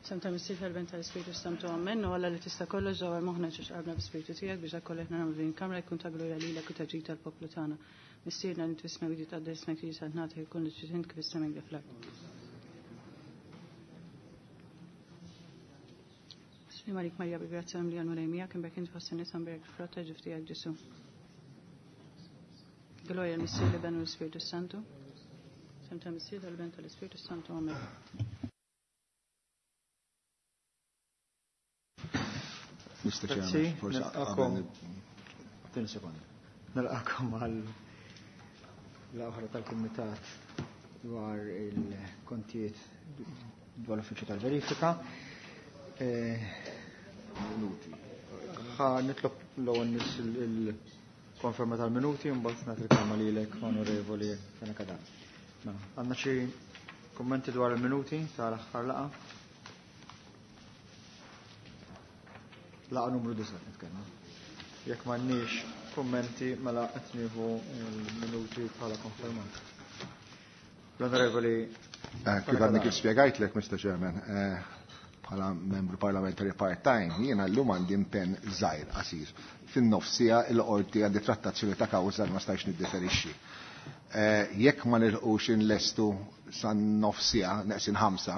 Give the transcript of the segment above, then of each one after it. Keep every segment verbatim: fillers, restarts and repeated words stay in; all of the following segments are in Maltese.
F'isem tal-Missier, tal-Iben, tal-Ispirtu Santu, Amen. U Alla li tista' kollox dawwar moħħna ġo qalbna bl-Ispirtu tiegħek biex dak kollu aħna nagħmlu din il-kamra jkun ta' glorja lilek u ta' ġid tal-poplu tagħna. Missierna li fis-smewwiet jitqaddes ismek, tiġi saltnatek, ikun li trid int kif fis-sema hekk fl-art. Sliem għalik Marija, bil-grazzja mimlija, l-Mulej miegħek, imbierka int fost in-nisa, mbierek il-frott ta' ġuf tiegħek Ġesù. Glorja l-Missier, l-Iben u l-Ispirtu Santu. F'isem tal-Missier, tal-Iben, tal-Ispirtu Santu. Amen. Mister Grazzi, Chairman, forse nilqakom. qabel Tieni sekonda. Nilqakom għal l-oħra tal-Kumitat dwar il-kontijiet dwar l-Uffiċċju tal-Verifika. Eh, Minuti. Ħa nitlob l-ewwel nies il-konferma tal-minuti u mbagħad nagħti il-kelma lilek, Onorevoli Fenech Adami. Mela, għandna xi kummenti dwar il-minuti tal-aħħar laqgħa? Laqgħa numru disa' nitkellmu. Jekk m'għandniex kummenti mela qed nieħu l-minuti bħala konfermat. L-Onorevoli Eh, kif għadni kif spjegajtlek, Mister Chairman, eh, bħala membru parlamentari part-time, jiena llum għandi impenn żgħir qasir. Fin-nofsija il-qorti għandi trattazzjoni ta' kawża li ma stajx niddeferixxi. Eh, jekk ma nilħqux inlestu san nofsija, neqsin ħamsa,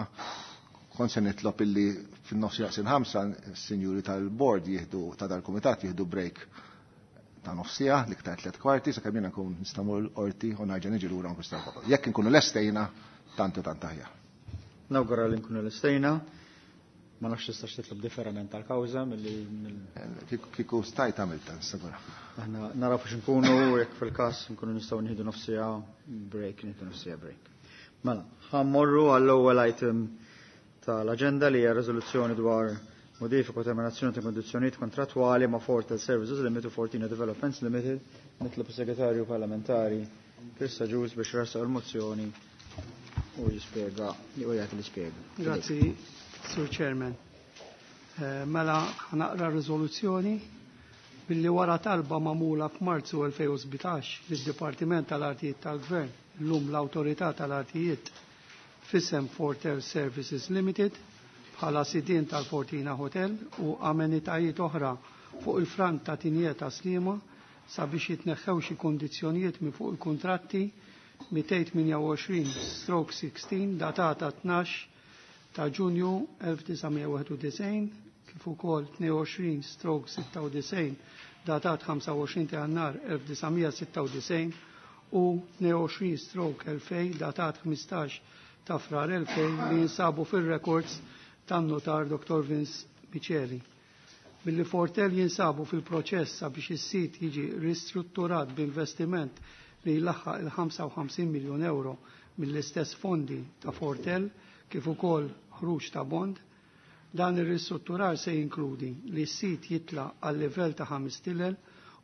kont se nitlob illi fin-nofsija neqsin ħamsa, s-sinjuri tal-board jieħdu ta' dal-kumitat jieħdu break ta' nofsija, l-iktar tliet kwarti, sakemm jiena nkun nista' mmur l-qorti u nerġa' niġi lura nkun nista' nkomplu. Jekk inkunu lestejna, tant u tant aħjar. Nawgura li nkunu lestejna. Ma nafx tistax titlob differiment tal-kawża milli mill- Eh, kieku, kieku stajt għamilta, nissigura. Aħna naraw fiex nkunu, jekk fil-każ nkunu nistgħu nieħdu nofsija break, nieħdu nofsija break. Mela, ħa mmorru għall-ewwel item tal-aġenda li hija riżoluzzjoni dwar modifika u terminazzjoni ta' kondizzjonijiet kontrattwali ma' Fortel Services Limited u Fortina Developments Limited. Nitlob is-Segretarju Parlamentari Chris Agius biex jressaq il-mozzjoni u jispjega, u jagħti l-ispjega. Grazzi, Sur Chairman. Eh, mela ħanaqra riżoluzzjoni billi wara talba magħmula f'Marzu elfejn u sbatax lid-Dipartiment tal-Artijiet tal-Gvern, llum l-Awtorità tal-Artijiet f'isem Fortel Services Limited bħala sidien tal-Fortina Hotel u amenitajiet oħra fuq il-front ta' Tinjiet ta' Sliema sabiex jitneħħew xi kondizzjonijiet minn fuq il-kuntratti mitejn tmienja u għoxrin stroke sixteen datata tnax ta' Ġunju elf disa' mija wieħed u disgħin kif ukoll tnejn u għoxrin stroke sitta u disgħin datat ħamsa u għoxrin ta' Jannar elf disa' mija sitta u disgħin u tnejn u għoxrin stroke elfejn datat ħmistax ta' Frar elfejn li jinsabu fir-records tan-notar Doktor Vince Miceli. Billi Fortel jinsabu fil-proċess sabiex is-sit jiġi ristrutturat b'investiment li jlaħħaq il-ħamsa u ħamsin miljun euro mill-istess fondi ta' Fortel kif ukoll ħruġ ta' bond, dan ir-ristrutturar se jinkludi li s-sit jitla għal livell ta' ħames tilel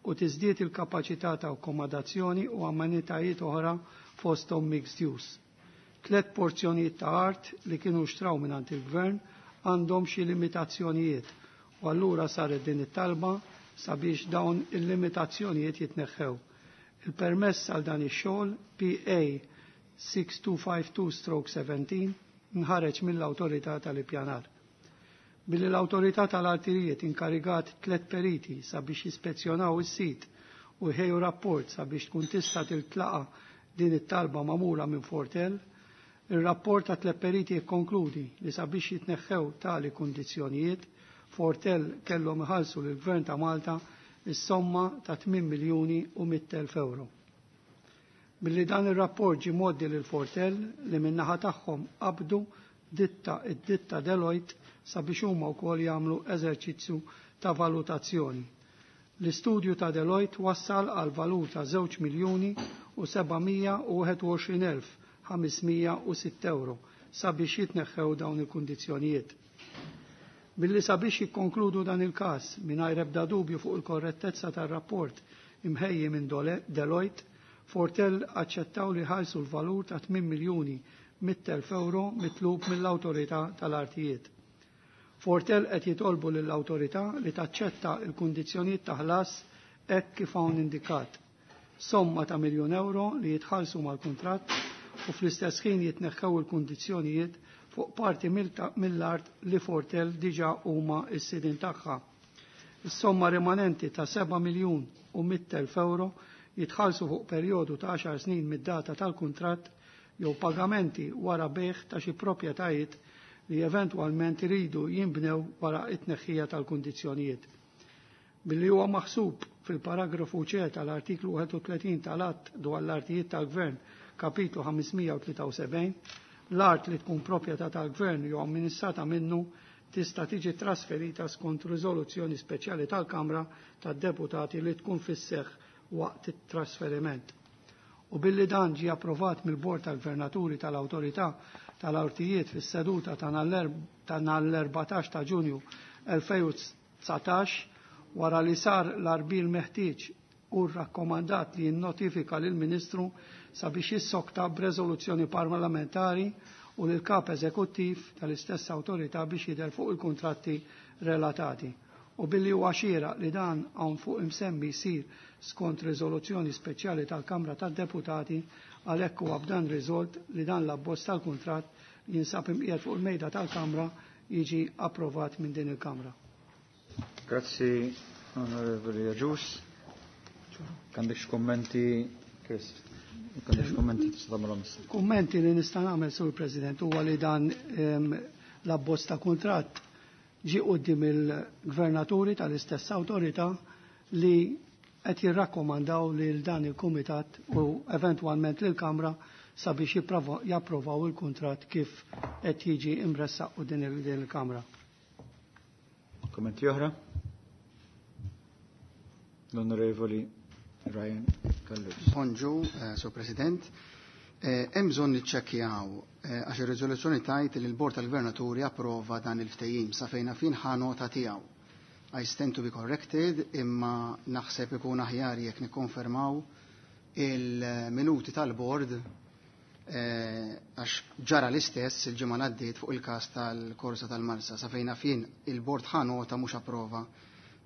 u tiżdied il-kapaċità ta' akkomodazzjoni u amenitajiet oħra fosthom mixed use. Tlet porzjonijiet ta' art li kienu xtraw mingħand il-gvern għandhom xi limitazzjonijiet u allura saret din it-talba sabiex dawn il-limitazzjonijiet jitneħħew. Il-permess għal dan ix-xogħol P A six two five two stroke seventeen nħareġ mill-Awtorità tal-Ippjanar. Billi l-Awtorità tal-Artijiet inkarigat tliet periti sabiex jispezzjonaw is-sit u jħejju rapport sabiex tkun tista' tiltlaqa din it-talba magħmula minn Fortel, ir-rapport ta' tliet periti jikkonkludi li sabiex jitneħħew tali kundizzjonijiet, Fortel kellhom iħallsu lill-Gvern ta' Malta is-somma ta' tmien miljuni u mitt elf euro. Billi dan ir-rapport ġie mgħoddi lil Fortel li min-naħa tagħhom qabdu ditta id-ditta Deloitte sabiex huma wkoll jagħmlu eżerċizzju ta' valutazzjoni. L-istudju ta' Deloitte wassal għal valur ta' żewġ miljuni u seba' mija u wieħed u għoxrin elf ħames mija u sitt euro sabiex jitneħħew dawn il-kundizzjonijiet. Billi sabiex jikkonkludu dan il-każ mingħajr ebda dubju fuq il-korrettezza tar-rapport imħejji minn Dole-, Deloitte, Fortel aċċettaw li ħalsu l-valur ta' tmien miljuni mitt elf euro mitlub mill-Awtorità tal-Artijiet. Fortel qed jitolbu lill-awtorità li taċċetta l-kundizzjonijiet ta' ħlas hekk kif hawn indikat. Somma ta' miljun euro li jitħallsu mal-kuntratt u fl-istess ħin jitneħħew il-kundizzjonijiet fuq parti mill-art li Fortel diġa huma s-sidin tagħha. Is-somma rimanenti ta' seba' miljun u mitt elf euro jitħallsu fuq perjodu ta' għaxar snin mid-data tal-kuntratt jew pagamenti wara bejgħ ta' xi proprjetajiet li eventwalment iridu jinbnew wara it-tneħħija tal-kundizzjonijiet. Billi huwa maħsub fil-paragrafu C tal-artiklu wieħed u tletin tal-Att dwar l-Artijiet tal-Gvern, kapitlu ħames mija u tlieta u sebgħin, l-art li tkun proprjetà tal-Gvern jew amministrata minnu tista' tiġi trasferita skont riżoluzzjoni speċjali tal-Kamra tad-Deputati li tkun fis-seħħ waqt it-trasferiment. U billi dan ġie approvat mill-Bord tal-Gvernaturi tal-Awtorità tal-Artijiet fis-seduta ta' nhar l-erbatax ta' Ġunju elfejn u dsatax, wara li sar l-arbil meħtieġ u rrakkomandat li jinnotifika lill-Ministru sabiex jissokta b'reżoluzzjoni parlamentari u lil kap eżekuttiv tal-istess awtorità biex jidher fuq il-kuntratti relatati. U billi huwa xieraq li dan hawn fuq imsemmi jsir skont riżoluzzjoni speċjali tal-Kamra tad-Deputati, għalhekk huwa b'dan riżolt li dan l-abbozz tal-kuntratt jinsab imqiegħed fuq il-mejda tal-Kamra jiġi approvat minn din il-Kamra. Grazzi, Onorevoli Agius. Għandek xi kummenti, Chris? Għandek xi kummenti tista' tagħmelhom issa? Kummenti li nista' nagħmel, Sur President, huwa li dan, ehm, l-abbozz ta' kuntratt ġie quddiem il-gvernaturi tal-istess awtorità li qed jirrakkomandaw lil dan il-kumitat u eventwalment lill-Kamra sabiex jipprova-, japprovaw il-kuntratt kif qed jiġi imressaq u din il-, din il-Kamra. Kummenti oħra? L-Onorevoli Ryan Callus. Bonġu, eh, Sur President. Eh, hemm bżonn niċċekkjaw, eh, għax ir-riżoluzzjoni tajt li l-Bord tal-Gvernaturi approva dan il-ftehim sa fejna fin ħa nota tiegħu. I stand to be corrected, imma naħseb ikun aħjar jekk nikkonfermaw il-minuti tal-bord, eh, għax ġara l-istess il-ġimgħa li għaddiet fuq il-każ tal-Korsa tal-Marsa. Sa fejna fin il-bord ħa nota mhux approva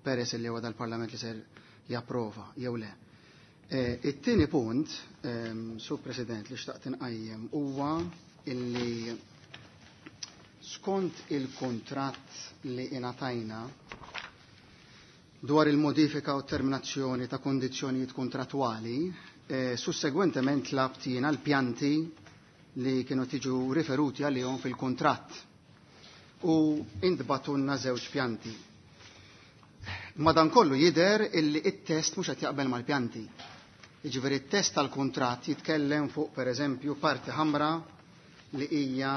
peress li huwa dal-Parlament li ser japprova jew le. Eh, it-tieni punt, ehm, Sur President, li xtaqt inqajjem huwa illi skont il-kuntratt li ingħatajna dwar il-modifika u terminazzjoni ta' kondizzjonijiet kontrattwali, eh, sussegwentement tlabt jiena l-pjanti li kienu tiġu riferuti għalihom fil-kuntratt u intbatunna żewġ pjanti. Madankollu jidher illi it-test mhux qed jaqbel mal-pjanti. Jiġifieri t-test tal-kuntratt jitkellem fuq pereżempju parti ħamra li hija,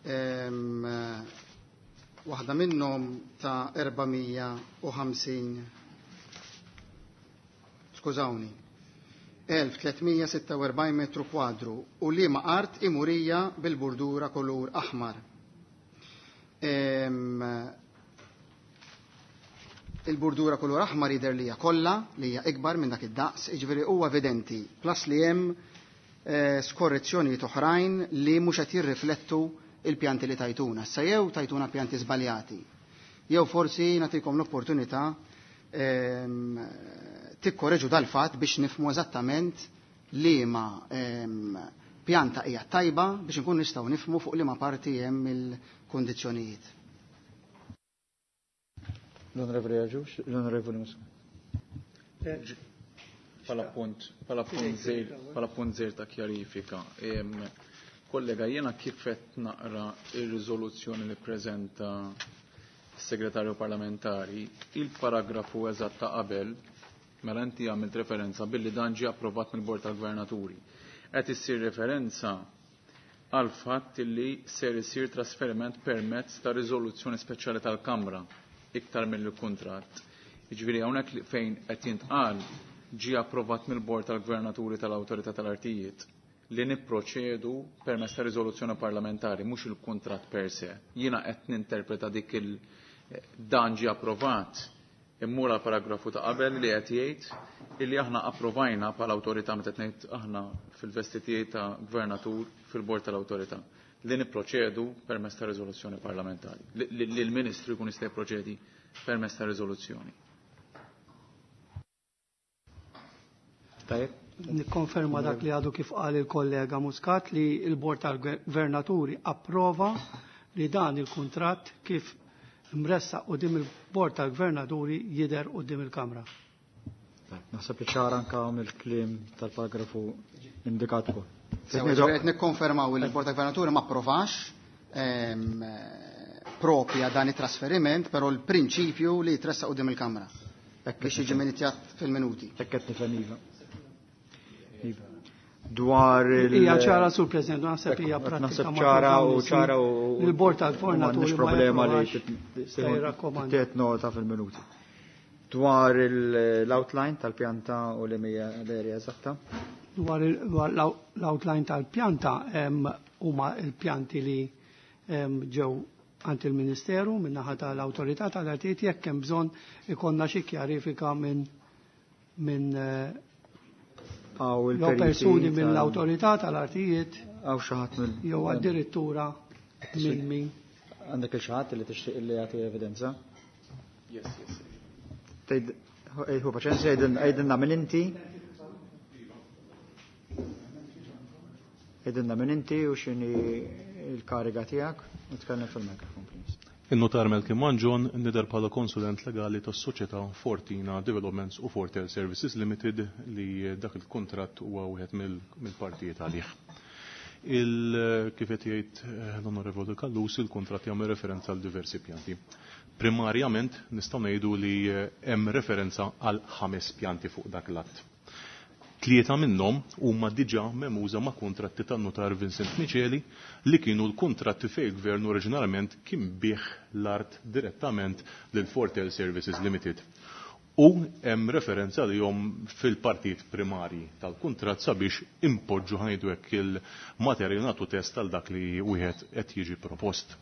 ehm, waħda minnhom ta' erba' mija u ħamsin, skużawni, elf tliet mija sitta u erbgħin metru kwadru u liema art imurija bil-burdura kulur aħmar. Ehm, il-burdura kulur aħmar jidher li hija kollha li hija ikbar minn dak id-daqs, jiġifieri huwa evidenti, plus li hemm, eh, skorrezzjonijiet oħrajn li mhux qed jirriflettu il-pjanti li tajtuna. Issa jew tajtuna pjanti żbaljati, jew forsi nagħtikom l-opportunità, ehm, tikkoreġu dal-fatt biex nifhmu eżattament liema, ehm, pjanta hija tajba biex nkun nistgħu nifhmu fuq liema parti hemm il-kundizzjonijiet. L-Onorevoli Agius, l-Onorevoli Muscat. Pala punt, pala punt zejr, pala punt zejr ta' kjarifika. Em, kollega, jena kif qed naqra ir-riżoluzzjoni li preżenta s-segretarju parlamentari, il-paragrafu eżatt ta' qabel, mela inti għamilt referenza billi dan ġie approvat mill-Bord tal-Gvernaturi. Qed issir referenza għal fatt li ser isir trasferiment permezz ta' riżoluzzjoni speċjali tal-Kamra iktar mill-kuntratt. Jiġifieri hawnhekk li fejn qed jintqal ġie approvat mill-Bord tal-Gvernaturi tal-Awtorità tal-Artijiet li nipproċedu permezz ta' riżoluzzjoni parlamentari, mhux il-kuntratt per se. Jiena qed ninterpreta dik il dan ġie approvat immur għal paragrafu ta' qabel li qed jgħid illi aħna approvajna bħala awtorità meta qed ngħid aħna fil-vestitijiet ta' gvernatur fil-bord tal-awtorità li nipproċedu permezz ta' riżoluzzjoni parlamentari, li, li, li l-Ministru jkun jista' jipproċedi permezz ta' riżoluzzjoni. Tajjeb. Nikkonferma dak li għadu kif qal il-kollega Muscat li il-Bord tal-Gvernaturi approva li dan il-kuntratt kif mressaq quddiem il-Bord tal-Gvernaturi jidher quddiem il-Kamra. Naħseb li ċara anka mill-kliem tal-paragrafu indikat ukoll. Qed nikkonfermaw li l-Bord tal-Gvernaturi ma approvax ehm, propja dan it-trasferiment, però l-prinċipju li jitressaq quddiem il-Kamra biex jiġi minitjat fil-minuti. Hekk qed nifhem iva. Iva. Dwar il- Hija ċara sur President, naħseb hija pratika. Naħseb ċara u ċara u Il-Bord tal-Gvernaturi m'għandniex ma problema li japprovax, se jirrakkomanda. tiet nota fil-minuti. Dwar il- l-outline tal-pjanta u li hija l-area eżatta. Dwar il- dwar l-outline tal-pjanta hemm huma l-pjanti li em, ġew għand il-Ministeru min-naħa tal-Awtorità tal-Artijiet jekk hemm bżonn ikollna xi kjarifika minn minn eh, Għaw jew il-periti persuni tal- mill-Awtorità tal-Artijiet Għaw xi ħadd mill- jew addirittura minn min. Għandek il xi ħadd li tixtieq li jagħti evidenza? Yes, yes. Tgħid hu paċenzja għidilna minn inti. Għidilna minn inti u x'inhi l-kariga tiegħek u tkellem fil-mikrofon please. Il-notar Melkim Manġon nidher bħala konsulent legali tas-soċjetà Fortina Developments u Fortel Services Limited li dak il-kuntratt huwa wieħed mill-partijiet għalih. Il kif qed jgħid l-Onorevoli Callus, il-kuntratt jagħmel referenza għal diversi pjanti. Primarjament nistgħu ngħidu li hemm referenza għal ħames pjanti fuq dak l-att. Tlieta minnhom huma diġà memuża ma' kuntratti tan-notar Vincent Miceli li kienu l-kuntratti fejn il-gvern oriġinarjament kien bih l-art direttament lil Fortel Services Limited. U hemm referenza li jom fil-partit primarji tal-kuntratt sabiex impoġġu ħajdu hekk il-materjal nagħtu test tal dak li wieħed qed jiġi propost.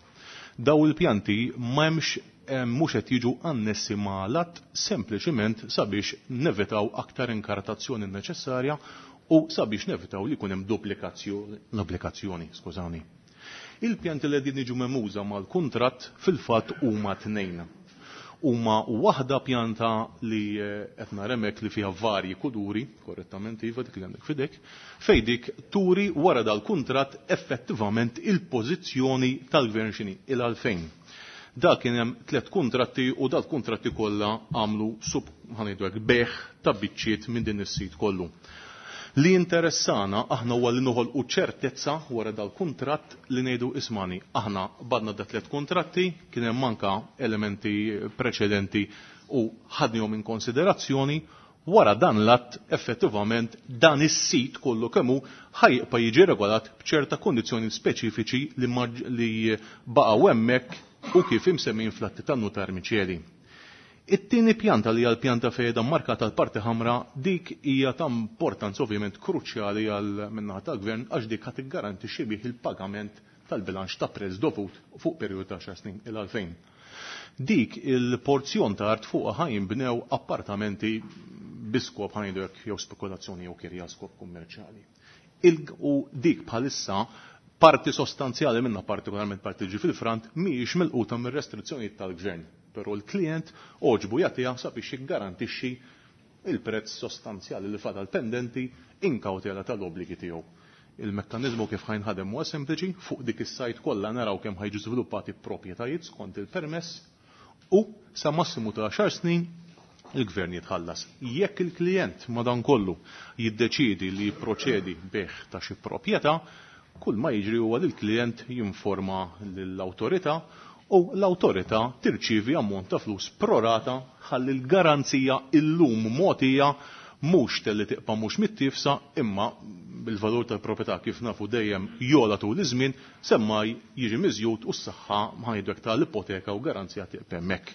Daw il-pjanti m'hemmx mhux qed jiġu annessi ma' l-att sempliċiment sabiex nevitaw aktar inkartazzjoni neċessarja u sabiex nevitaw li jkun hemm duplikazzjoni, duplikazzjoni, skużani. Il-pjanti li qegħdin jiġu memuża mal-kuntratt fil-fatt huma tnejn. Huma waħda pjanta li qed nara hemmhekk li fiha varji kuduri, korrettament iva dik li għandek f'idek, fejn dik turi wara dal-kuntratt effettivament il-pożizzjoni tal-gvern x'inhi il-għalfejn. Dak kien hemm tliet kuntratti u dal-kuntratti kollha għamlu sub ħanejdu hekk beħ ta' biċċiet minn din is-sit kollu. Li interessana aħna huwa li noħolqu ċertezza wara dal-kuntratt li ngħidu ismani. Aħna badna da tliet kuntratti, kien hemm anka elementi preċedenti u ħadnihom in konsiderazzjoni. Wara dan l-att effettivament dan is-sit kollu kemm hu ħajqa jiġi regolat b'ċerta kondizzjoni speċifiċi li maġ-, li baqgħu hemmhekk u kif imsemmin fl-atti tan-notar Miceli. It-tieni pjanta li hija l-pjanta fejn markata l-parti ħamra, dik hija ta' importanza ovvjament kruċjali għal min-naħa tal-gvern għax dik ħadd iggarantixxi bih il-pagament tal-bilanċ ta' prezz dovut fuq perjodu ta' xar snin il għalfejn. Dik il-porzjon ta' art fuqha ħa jinbnew appartamenti bi skop ħa ngħidu hekk jew spekulazzjoni jew kirja skop kummerċjali. Il-, u dik bħalissa parti sostanzjali minna, partikolarment parti ġi fil-front, mhijiex milquta mir-restrizzjonijiet tal-gvern. Però l-klient oġbu jagħtiha sabiex jiggarantixxi il-prezz sostanzjali li fadal pendenti in kawtela tal-obbligi tiegħu. Il-mekkaniżmu kif ħajnħadem huwa sempliċi, fuq dik is-sajt kollha naraw kemm ħajġu żviluppati proprjetajiet skont il-permess u sa massimu ta' għaxar snin il-gvern jitħallas. Jekk il-klient madankollu jiddeċiedi li jipproċedi bih ta' xi proprjetà, kull ma jiġri huwa li l-klient jinforma lill-awtorità u l-awtorità tirċievi ammont ta' flus prorata ħalli l-garanzija illum mogħtija mhux telli tibqa' mhux mittifsa imma bil-valur tal-proprjetà kif nafu dejjem jola tul iż-żmien semmaj jiġi miżjud u s-saħħa ma ngħidu hekk tal-ipoteka u garanzija tibqa' hemmhekk.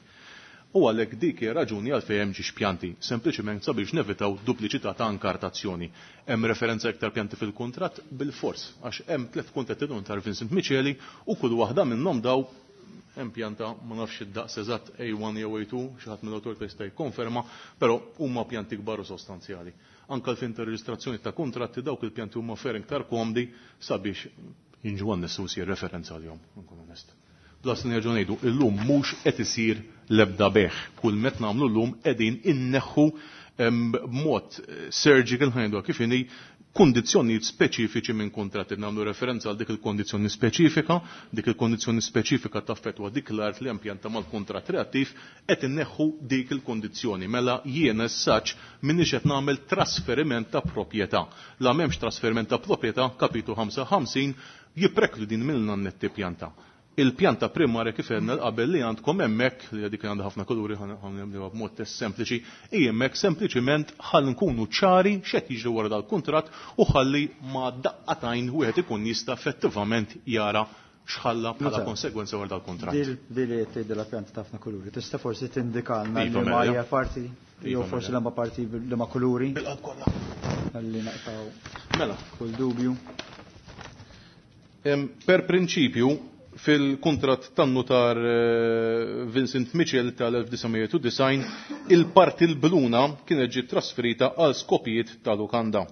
U għalhekk dik hija raġuni għalfejn hemm ġiex pjanti, sempliċement sabiex nevitaw dupliċità ta' inkartazzjoni. Hemm referenza iktar pjanti fil-kuntratt bil-fors, għax hemm tliet kuntratti tar Vincent Miceli u kull waħda minnhom daw hemm pjanta ma nafx id-daqs eżatt A one jew A two, xi ħadd mill-awtorità jista' jikkonferma, però huma pjanti kbar u sostanzjali. Anke l-fin ta' reġistrazzjoni ta' kuntratti dawk il-pjanti huma ferm iktar komdi sabiex jinġu għan-nessu jsir referenza għalihom, nkun onest. Plus nerġgħu ngħidu illum mhux qed isir l-ebda beħ. Kull met nagħmlu llum qegħdin inneħħu b'mod surgical ħajdu kif inhi kondizzjonijiet speċifiċi minn kontratti. Nagħmlu referenza għal dik il-kondizzjoni speċifika, dik il-kondizzjoni speċifika taffettwa dik l-art li hemm pjanta mal-kuntratt reattiv, qed inneħħu dik il-kondizzjoni. Mela jien essaċ minniex qed nagħmel trasferiment ta' proprjetà. La m'hemmx trasferiment ta' proprjetà, kapitlu ħamsa u ħamsin jipreklu din mill netti pjanta. Il-pjanta primarja kif għedna qabel li għandkom hemmhekk, li dik għandha ħafna kuluri ħanibdew b'mod test sempliċi, hi hemmhekk sempliċiment ħalli nkunu ċari x'qed jiġri wara dal-kuntratt u ħalli ma daqqatajn wieħed ikun jista' effettivament jara x'ħalla bħala konsegwenza wara dal-kuntratt. Dil li qed tgħid la pjanta ta' ħafna kuluri, tista' forsi tindikalna li ma hija parti jew forsi l-ma parti li ma kuluri. Bil-qalb kollha. Ħalli naqtaw mela kull dubju. Per prinċipju, fil-kontrat tan-notar Vincent Mitchell tal-elf disa' mija u disgħin, il-parti l-bluna kienet ġiet trasferita għal skopijiet ta' lukanda.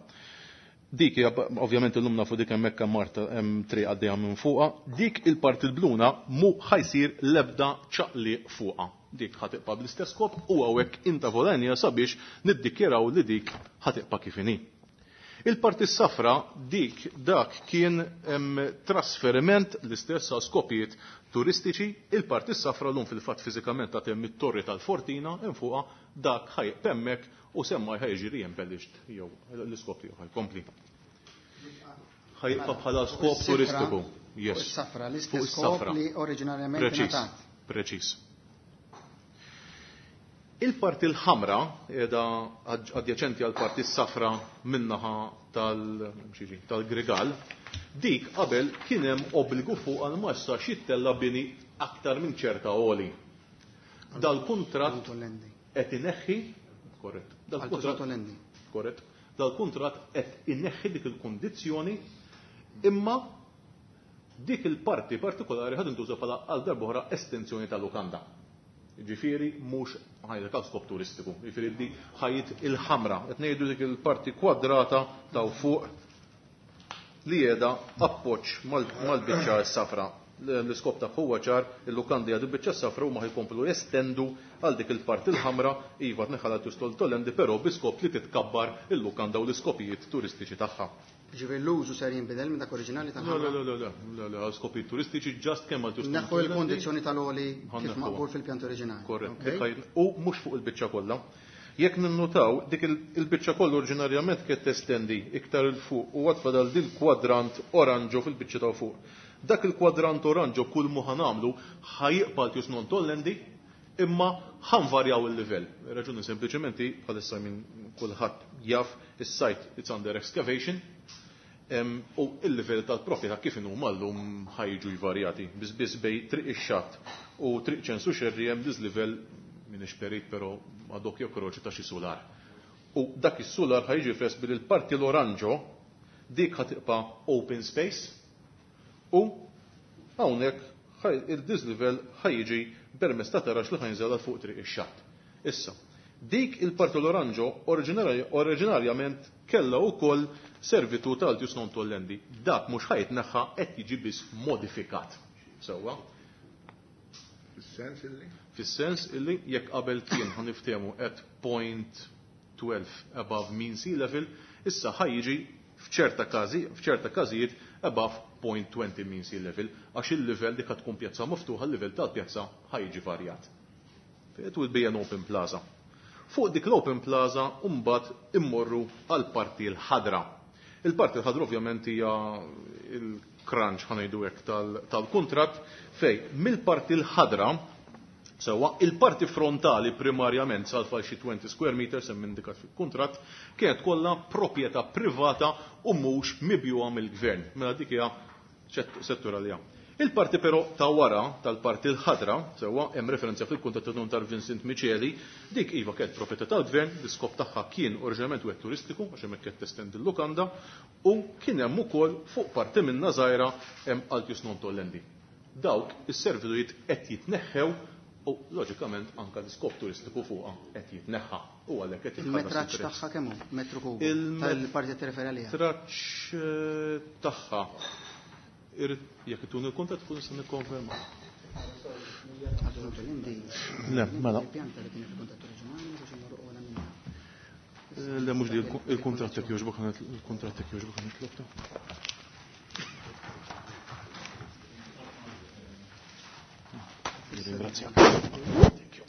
Dik hija ovvjament illum nafu dik hemmhekk hemm Marta hemm triq għaddejja minn fuqha, dik il-parti l-bluna mu ħajsir l-ebda ċaqliq fuqha. Dik ħatibqa' bl-istess skop u hawnhekk intavolanja sabiex niddikjaraw li dik ħatibqa' kif inhi. Il-parti safra dik dak kien em, trasferiment l-istess għal skopijiet turistiċi, il-parti safra l-lum fil-fatt fiżikament ta' hemm it-torri tal-Fortina hemm fuqha dak ħajq hemmhekk u semmaj ħajġi re-embellished jew l-iskop tiegħu ħajkompli. Ħajibqa' bħala skop turistiku. Yes. Safra l-istess skop li oriġinarjament ngħatat. Preċiż. Il-parti l-ħamra qiegħda adjaċenti għal parti s-safra minnaħa tal-Grigal, dik qabel kien hemm obbligu fuq għal ma jistax jittella bini aktar minn ċerta għoli. Dal-kuntratt qed ineħħi, korrett, dal-kuntratt korrett, dal-kuntratt qed ineħħi dik il-kundizzjoni, imma dik il-parti partikolari ħad intuża bħala għal darb'oħra estensjoni tal-lukanda. Ġifieri mhux ħajja għal skop turistiku, ġifieri di ħajjit il-ħamra, qed ngħidu dik il-parti kwadrata ta' fuq li qiegħda appoġġ mal-biċċa s-safra. L-iskop ta' huwa ċar, il-lukandi għadu biċċa s-safra u ma ħajkomplu jestendu għal dik il-parti l-ħamra, iva tneħħala tustol tolendi, però bi skop li titkabbar il-lukanda u l-iskopijiet turistiċi tagħha. Ġifieri l-użu ser jinbidel minn dak oriġinali tal-ħamra? Le, le, le, le, le, għal skopijiet turistiċi ġast kemm għal turistiċi. Neħħu l-kondizzjoni tal-oli kif maqbul fil-pjant oriġinali. Korrett. U mhux fuq il-biċċa kollha. Jekk ninnutaw dik il-biċċa kollha oriġinarjament kienet testendi iktar il fuq u għad fadal dil kwadrant oranġo fil-biċċa ta' fuq. Dak il-kwadrant oranġo kull mu ħanamlu ħajqbal tius non tollendi imma ħanvarjaw il-livell. Raġuni sempliċement bħalissa minn kulħadd jaf is-site it's under excavation u il-livell tal-proprjetà kif inhu mallum ħajġu jvarjati. Biss biss bej triq ix-xatt u triq ċensu xerri hemm diżlivell minn perit però għadok jokroċi ta' xi solar. U dak is-solar ħajġi fress bil il-parti l-oranġo dik ħatibqa' open space u hawnhekk il-diżlivell ħajġi permezz ta' tarax li ħajnżel għal fuq triq ix-xatt. Issa, dik il-parti l-oranġo oriġinarjament kellha wkoll servitù tal-altius non tollendi. Dak mhux ħajtneħħa qed jiġi biss modifikat. Sewwa? Fis-sens illi? Fis-sens illi jekk qabel kien ħaniftehmu at point twelve above mean sea level, issa ħajjiġi f'ċerta każi, f'ċerta każijiet above point twenty mean sea level, għax il-livell dik tkun pjazza miftuħa, il-livell tal-pjazza ħajjiġi varjat. It will be an open plaza. Fuq dik l-open plaza mbagħad immorru għal parti l-ħadra. Il-parti l-ħadra ovvjament hija il-crunch ħanejdu hekk tal-kuntratt fej mill-parti l-ħadra sewwa il-parti frontali primarjament sal xi twenty square meters hemm indikat fil-kuntratt kienet kollha proprjetà privata u mhux mibjuha mill-gvern. Mela dik hija settur għalija. Il-parti però ta' wara tal-parti l-ħadra, sewwa hemm referenza fil-kuntratt ta' tar Vincent Micheli, dik iva kienet proprjetà tal-gvern, l-iskop tagħha kien oriġinarjament wieħed turistiku għax hemmhekk qed testendi l-lukanda, u kien hemm ukoll fuq parti minnha żgħira hemm altius non tollendi. Dawk is-servitujiet qed jitneħħew u loġikament anke l-iskop turistiku fuqha qed jitneħħa. U għalhekk qed jitħallas Il-metraġġ il-prezz. tagħha kemm hu? Metru kubu. Il-metraġġ Tal-parti qed tirreferi għaliha. tagħha. Jekk itun il-kuntatt tkun se nikkonferma. Le, mela. Le mhux di il-kuntratt jekk jogħġbok il-kuntratt jekk jogħġbok nitlob. Ringrazzjak. Thank you.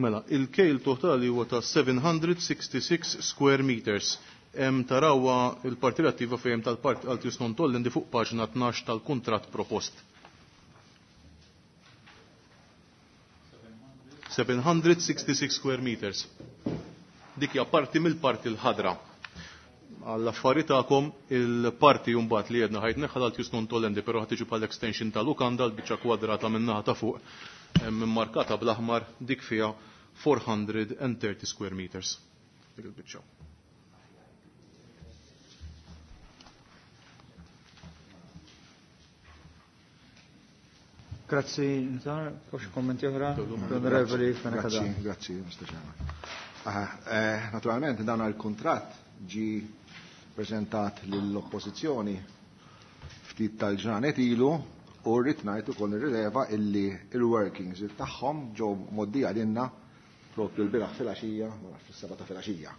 Mela, il-kejl totali huwa ta' seven hundred sixty-six square meters. Hemm tarawha il-parti relattiva fejn tal-parti Altius non tollendi fuq paġna tnax tal-kuntratt propost. seven hundred sixty-six square meters. Dik hija parti mill-parti l-ħadra. Għall-affari tagħkom, il-parti mbagħad li jedna ħajt neħħal Altius non tollendi, però ħad tiġi bħal extension tal-lukanda, l-biċċa kwadrata min-naħa ta' fuq markata bl-aħmar, dik fiha four hundred thirty square meters. Dik il-biċċa. Grazzi, Nutar. Xi kommenti oħra? L-Onorevoli Fenech Grazzi, grazzi, Mister Chairman. Eh, naturalment, dan il-kuntratt ġi prezentat lill-oppożizzjoni ftit tal-ġranet ilu u rrid ngħid ukoll nirrileva illi il-workings tagħhom ġew mgħoddija lilna propju l-bieraħ filgħaxija, ma nafx, fis-seba' ta' filgħaxija.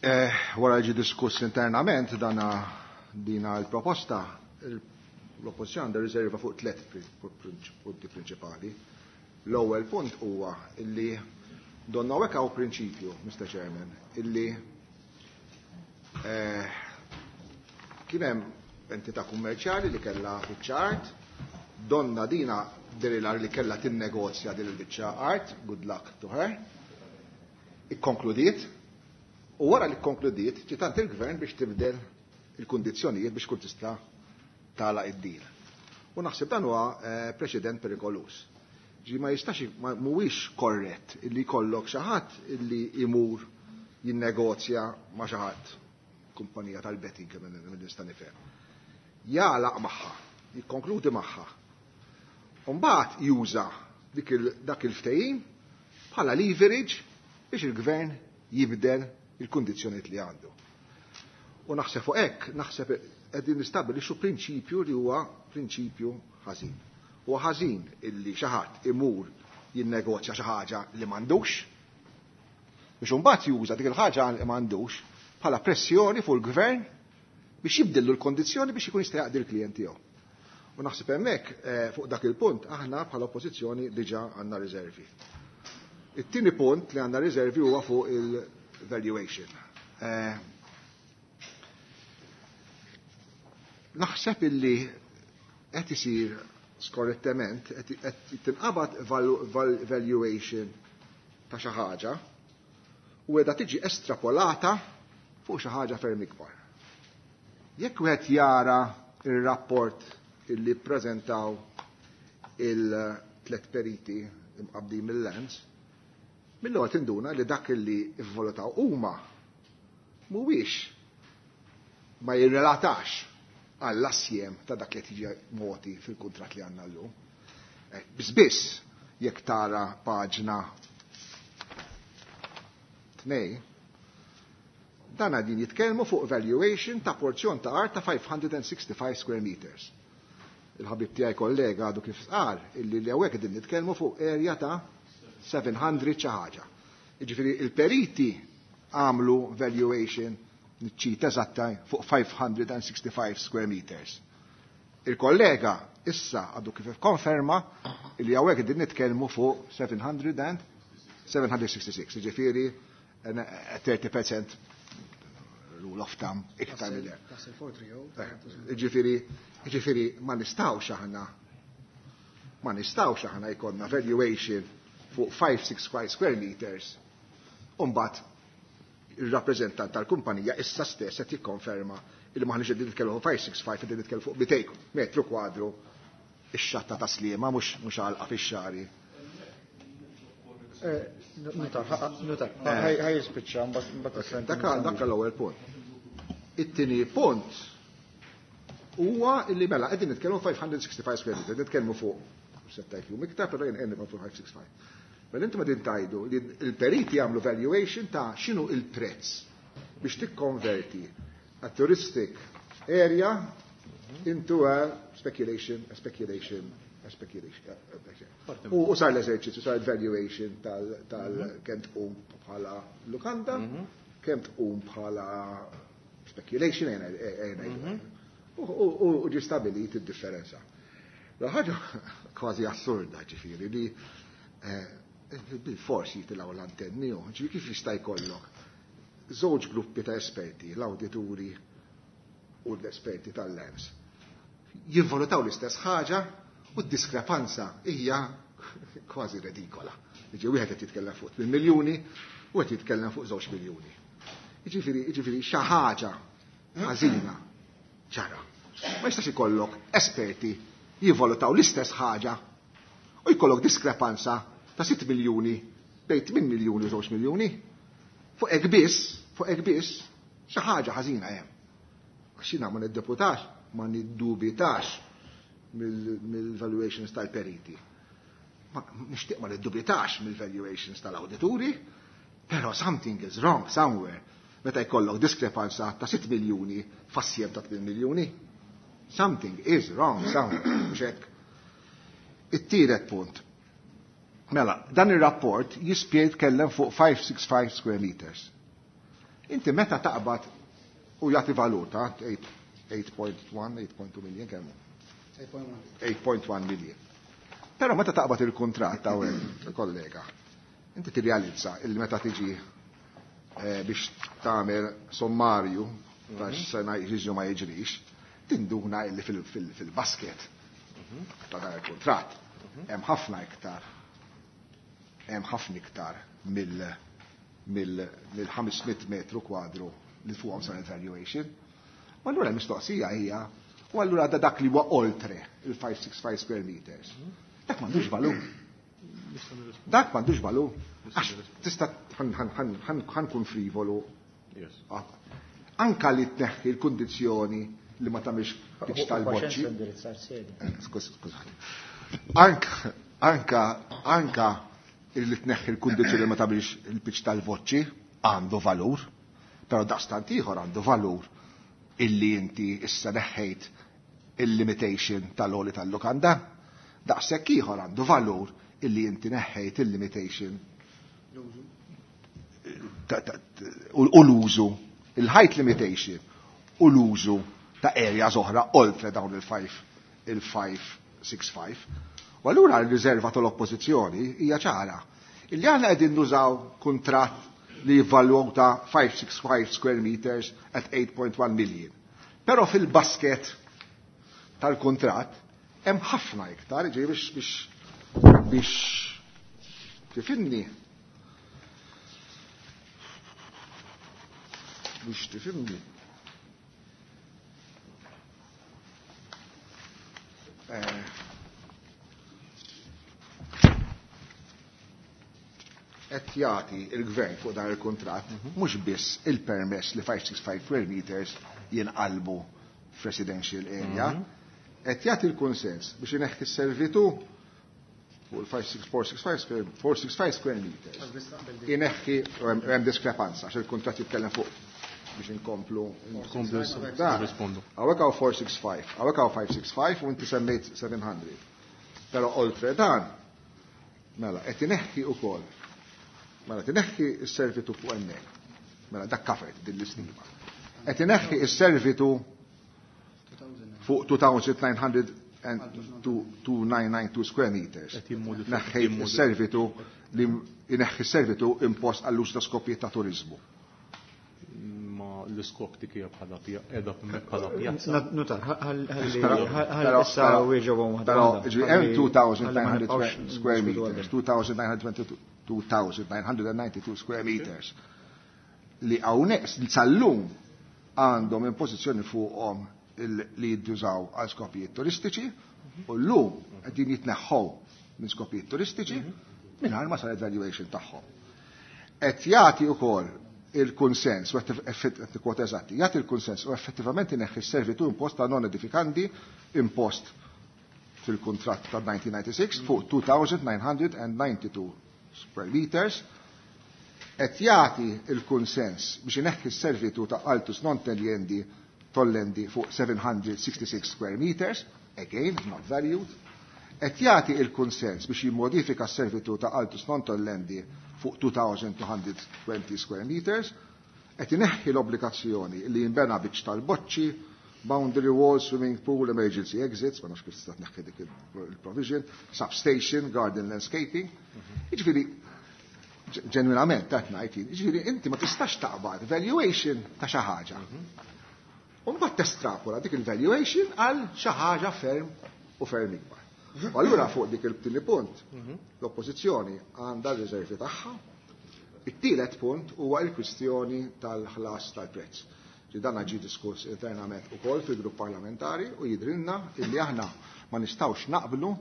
Eh, wara ġi diskuss internament dana dina l-proposta, l-oppożizzjoni għandha riserva fuq tliet punti prinċipali. L-ewwel punt huwa illi donna hekk hawn prinċipju, Mister Chairman, illi eh, kien hemm entità kummerċjali li kellha biċċa art, donna dina derilar li kellha tinnegozja din il-biċċa art, good luck to her, ikkonkludiet, u wara li kkonkludiet, ġiet għand il-gvern biex tibdel il-kundizzjonijiet biex kun tista' tagħlaq id-deal. U naħseb dan huwa eh, preċedent perikolus. Ġi ma jistax, mhuwiex korrett illi jkollok xi ħadd illi imur jinnegozja ma' xi ħadd, kumpanija tal-betting minn nista' nifhem. Jagħlaq magħha, jikkonkludi magħha. U mbagħad juża dak il-ftehim bħala leverage biex il-gvern jibdel il-kundizzjonijiet li għandu. U naħseb fuq hekk, naħseb qegħdin nistabbilixxu prinċipju li huwa prinċipju ħażin. Huwa ħażin illi xi ħadd imur jinnegozja xi ħaġa li m'għandux biex imbagħad juża dik il-ħaġa li m'għandux bħala pressjoni fuq il-gvern biex jibdillu l-kondizzjoni biex ikun jista' jaqdi l-klient tiegħu. U naħseb hemmhekk eh, fuq dak il-punt aħna bħala oppożizzjoni diġà għandna riservi. It-tieni punt li għandna riservi huwa fuq il-valuation. Eh, naħseb illi qed isir skorrettement, qed tinqabad valuation ta' xi ħaġa u qiegħda tiġi estrapolata fuq xi ħaġa ferm ikbar. Jekk wieħed jara ir-rapport illi ppreżentaw il-tlet periti imqabbdin mill-Lands, mill-ewwel tinduna li dak illi vvalutaw huma mhuwiex, ma jirrelatax għall-assjem ta' dak li tiġi moti fil-kuntratt li għandna llum. Eh, biss biss, jekk tara paġna tnej, dan għadin jitkellmu fuq valuation ta' porzjon ta' art ta' five hundred sixty-five square meters. Il-ħabib tiegħi kollega għadu kif qal illi li hawnhekk qegħdin nitkellmu fuq area ta' seven hundred xi ħaġa. Jiġifieri il-periti għamlu valuation, niċċita eżatta, fuq five hundred sixty-five square meters. Il-kollega issa għadu kif konferma li hawnhekk qegħdin nitkellmu fuq seven hundred and seven hundred sixty-six, jiġifieri thirty percent rule of thumb iktar minn hekk. Ġifieri, ġifieri ma nistgħux aħna ma nistgħux aħna jkollna valuation fuq five hundred sixty-five square meters u mbagħad il-rappreżentant tal-kumpanija issa stess qed jikkonferma li maħniex qegħdin nitkellmu fuq five hundred sixty-five, qegħdin nitkellmu fuq mitejn metru kwadru, ix-xatta ta' Sliema, mhux mhux għalqa fix-xagħri. Nutar, nutar, ħaj jispiċċa, mbagħad Dak l-ewwel punt. It-tieni punt huwa illi mela qegħdin nitkellmu five hundred sixty-five square meters, nitkellmu fuq setta jum iktar, però jien qegħdin fuq five sixty-five. Mela intom qegħdin tgħidu li l-periti jagħmlu valuation ta' x'inhu il-prezz biex tikkonverti a touristic area into a speculation, a speculation, a speculation. U sar l-eżerċizzju, sar valuation tal kemm tqum bħala lukanda, kemm tqum bħala speculation, u ġi stabilit id-differenza. La ħaġa kważi assurda ġifieri li bil-forsi jitilgħu l-antenni, ġifieri kif jista' jkollok żewġ gruppi ta' esperti, l-awdituri u l-esperti tal-L E M S, jivvalutaw l-istess ħaġa u d-diskrepanza hija kważi redikola. Jiġifieri wieħed qed jitkellem fuq tmien miljuni u qed jitkellem fuq żewġ miljuni. Jiġifieri, jiġifieri xi ħaġa ħażina ġara. Ma jistax ikollok esperti jivvalutaw l-istess ħaġa u jkollok diskrepanza ta' sitt miljuni bejn tmien miljuni u żewġ miljuni. Fuq hekk biss, fuq hekk biss, xi ħaġa ħażina hemm. Għax jiena ma niddeputax, ma niddubitax mill-valuations tal-periti. Ma nixtieq ma niddubitax mill-valuations tal-awdituri, però something is wrong somewhere. Meta jkollok diskrepanza ta' sitt miljuni fassjem ta' tmien miljuni. Something is wrong somewhere. Mhux hekk. It-tielet punt. Mela, dan ir-rapport jispjeg jitkellem fuq five six five square meters. Inti meta taqbad u jagħti valuta eight point one, eight point two million kemm hu? eight point one million. Però meta taqbad il-kuntratt hawnhekk, kollega, inti tirrealizza illi meta tiġi, eh, biex tagħmel sommarju ta' x'sena jiġri ma jiġrix, tinduna illi fil-, fil-, fil-basket ta' dan il-kuntratt hemm ħafna iktar, hemm ħafna iktar mill-, mill-, mill ħames mitt metru kwadru li fuqhom sar valuation. U allura l-mistoqsija hija, u allura da dak li huwa oltre il-five six five square meters. Dak m'għandux valur. Dak m'għandux valur. Għax tista' ħankun frivolu. Anka li tneħħi l-kundizzjoni li ma tagħmilx pitch tal-boċċi. Skużani. Anka, anka, anka li tneħħi l-kundizzjoni li ma tagħmilx il-pitch tal-voċċi għandu valur, però daqstant ieħor għandu valur illi inti issa neħħejt il-limitation tal-oli tal-lukanda. Daqshekk ieħor għandu valur illi inti neħħejt il-limitation u l-użu, il-height limitation u l-użu ta' areas oħra oltre dawn il-five, il-five six five. U allura r-riserva tal-oppożizzjoni hija ċara. Illi aħna qegħdin nużaw kuntratt li jivvaluta five six five square meters at eight point one million. Però fil-basket tal-kuntratt hemm ħafna iktar, ġej biex, biex, biex tifhimni. Biex tifhimni. Eh, qed jagħti il-gvern fuq dan il-kuntratt mhux biss il-permess li five six five square meters jinqalbu f'residential area, qed jagħti l-kunsens biex ineħħi s-servitu fuq il-five six four six five square, four six five square meters. Ineħħi, hemm diskrepanza għax il-kuntratt jitkellem fuq biex inkomplu. Inkomplu Dan. nirrispondu. Hawnhekk hawn four six five, hawnhekk hawn five six five u inti semmejt seven hundred. Però oltre dan, mela, qed ineħħi wkoll. Mela, tineħħi s-servitu fuq hemmhekk. Mela, dak covered din l-istima. Qed ineħħi s-servitu fuq two thousand nine hundred and two, two nine nine two square meters. Qed jimmodifika- Neħħejt jimmodifika. is-servitu li ineħħi s-servitu impost għall-użu ta' skopijiet ta' turizmu. Ma l-iskop dik hija bħala pja-, qiegħda bħala pjazza. Na-, Nutar, ħalli Però, ħalli però, issa però, wieġobhom waħda però, waħda. ġifieri, hemm Ħalli- two thousand ħalli ma nine hundred nibqgħux square niskutu meters, għalhekk. two thousand nine hundred twenty-two, two thousand nine hundred ninety-two square meters li hawnhekk sal-lum għandhom impożizzjoni fuqhom il-, li jiddużaw għal skopijiet turistiċi u llum qegħdin jitneħħu minn skopijiet turistiċi Mingħajr ma saret valuation tagħhom. Qed jagħti wkoll il-kunsens, u qed kwota eżatti, jagħti il-kunsens u effettivament ineħħi s-servitu impost ta' non edifikanti impost fil-kuntratt ta' nineteen ninety-six fuq two thousand nine hundred ninety-two square meters, qed jagħti il-kunsens biex ineħħi s-servitu ta' altus non tollendi tollendi fuq seven hundred sixty-six square meters, again, not valued, qed jagħti il-kunsens biex jimmodifika s-servitu ta' altus non tollendi fuq two thousand two hundred twenty square meters, qed ineħħi l-obbligazzjoni li jinbena biċ tal-boċċi, boundary wall, swimming pool, emergency exits, ma nafx kif tista' tneħħi dik il-provision, substation, garden landscaping. Jiġifieri, ġenwinament qed ngħid jien, jiġifieri inti ma tistax taqbad valuation ta' xi ħaġa. U mbagħad testrapola dik il-valuation għal xi ħaġa ferm u ferm ikbar. U allura fuq dik il-tieni punt, l-oppożizzjoni għandha r-riservi tagħha. It-tielet punt huwa l-kwistjoni tal-ħlas tal-prezz. Ġi dan ġi diskuss internament ukoll fil-grupp parlamentari u jidrinna illi aħna ma nistgħux naqblu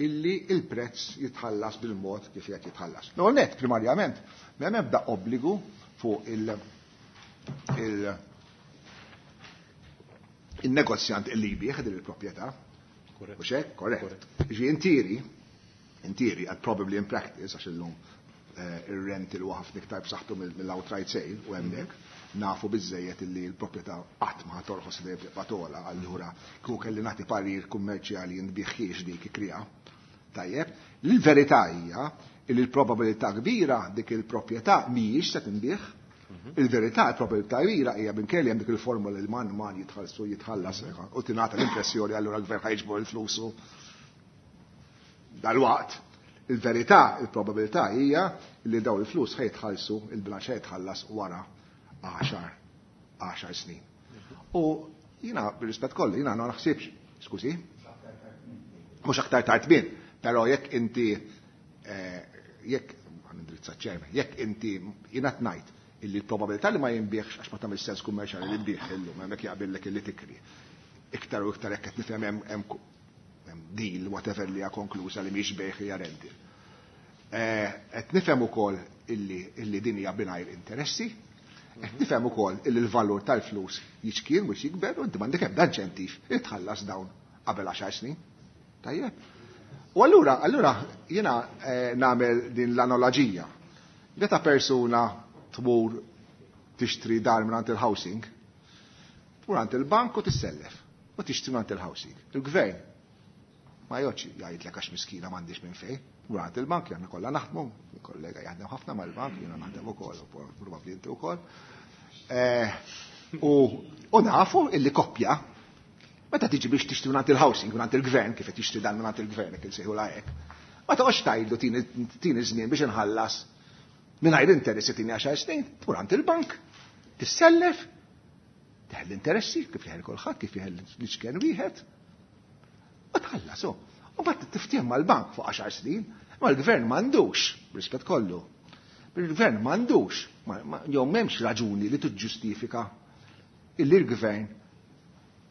illi il-prezz jitħallas bil-mod kif qed jitħallas. No net, primarjament, m'hemm ebda obbligu fuq il- il- il-negozjant illi jbieħ din il-proprjetà. U hekk? Korrett. Ġi in theory, in theory, and probably in practice, għax illum eh, ir-rent il ħafna iktar b'saħħtu mill-outright sale u hemmhekk nafu biżejjed illi l-proprjetà qatt ma torħos, dejjem tibqa' togħla, allura kieku kelli nagħti parir kummerċjali nbiħħiex dik ikrija. Tajjeb, l-verità hija li l-probabilità kbira dik il-proprjetà mhijiex se tinbih. Il-verità, il-probabilità kbira hija minkejja hemm dik il-formula li man man jitħallsu jitħallas u tingħata l-impressjoni allura l-gvern ħa jiġbor il-flusu dal-waqt. Il-verità, il-probabilità hija li daw il-flus ħa jitħallsu, il-bilanċ ħa jitħallas wara għaxar għaxar snin. U jina, bir-rispett kollu, jina ma naħsibx, skużi, mhux aktar tard minn, però jekk inti eh, jekk indrizza ċermen, jekk inti jina tnajt illi l-probabilità li ma jinbiħx għax ma tagħmel sens kummerċjali li tbieħ illum, hemmhekk jaqbillek illi tikri. Iktar u iktar jekk qed nifhem hemm hemm deal whatever li hija konkluża li mhix bejħ, hija rental. Eh, qed nifhem ukoll illi illi din hija mingħajr interessi, qed nifhem ukoll illi l-valur tal-flus jiċkien mhux jikber u inti m'għandek ebda inċentiv li tħallas dawn qabel għaxar snin. Tajjeb. U allura, allura jiena eh, nagħmel din l-analogija. Meta persuna tmur tixtri dar minn il-housing, tmur għand il-bank u tissellef u tixtri minn il-housing. Il-gvern ma joċ jgħidlek għax miskina m'għandix minn fejn. Tmur għand il-bank, jgħanna kollha naħdmu, kollega jaħdem ħafna mal-bank, jiena naħdem ukoll, u probabbli inti ukoll. Eh, U u nafu illi koppja meta tiġi biex tixtri minn il-housing, minn il-gvern, kif qed tixtri dan minn il-gvern, kif insejħu hekk. Ma toqgħodx tgħidlu tini tini żmien biex inħallas mingħajr interessi, tini għaxar snin, tmur għand il-bank, tissellef, teħel l-interessi, kif jeħel kulħadd, kif jeħel l-iċken wieħed, u tħallas. U mbagħad tiftiehem mal-bank fuq għaxar snin, ma l-gvern m'għandux, b'rispett kollu. Il-gvern m'għandux, jew m'hemmx raġuni li tiġġustifika illi l-gvern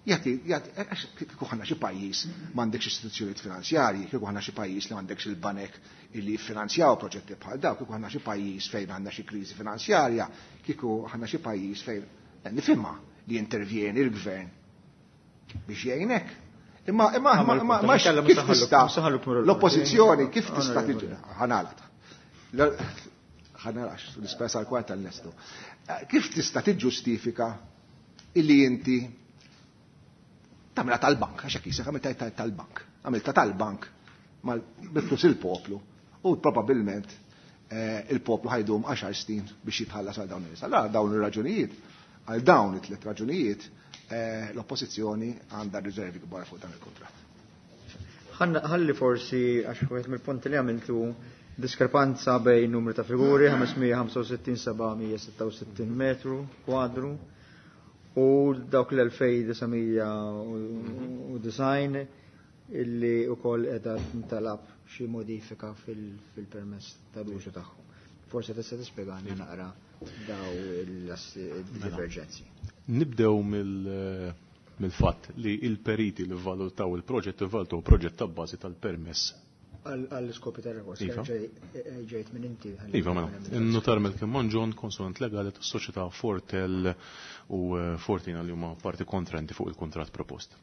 jagħti, għax kieku ħanna xi pajjiż m'għandekx istituzzjonijiet finanzjarji, kieku ħanna xi pajjiż li m'għandekx il-banek illi jiffinanzjaw proġetti bħal daw, kieku ħanna xi pajjiż fejn għandna xi kriżi finanzjarja, kieku ħanna xi pajjiż fejn nifhimha li intervjeni l-gvern biex jgħinek. Imma imma ma ma ma kif tista' l-oppożizzjoni kif tista' tiġi ħanalat. Ħanalax, l-ispesa għal-kwarta l-nestu. Kif tista' tiġġustifika illi inti tagħmilha tal-bank, għax hekk jisek għamilta tal-bank. Għamilta tal-bank bil-flus il-poplu u probabbilment eh, il-poplu ħa jdum għaxar snin biex jitħallas għal dawn il-nies. Allora dawn ir-raġunijiet, għal dawn it-tliet raġunijiet, eh, l-oppożizzjoni għandha riservi kbar fuq dan il-kontratt. Ħalli forsi, għax wieħed mill-punti li għamiltu diskrepanza bejn numri ta' figuri, ħames mija ħamsa u sittin, seba' mija sitta u sittin metru kwadru u dawk l-elfejn disa' mija u disgħin illi u koll edha tintalab xi modifika fil-permess tal-użu tagħhom. Forse tista' tispjegani naqra daw il-diverġenzi. Nibdew mill-fatt li il-periti li valutaw il-proġett valutaw proġett ta' bażi tal-permess Għall-iskopi tar-rekord, ġejt minn inti. Iva, mela. In-notar Malcolm Mangion, konsulent legali tas-soċjetà Fortel u Fortina li huma parti kontrenti fuq il-kuntratt propost.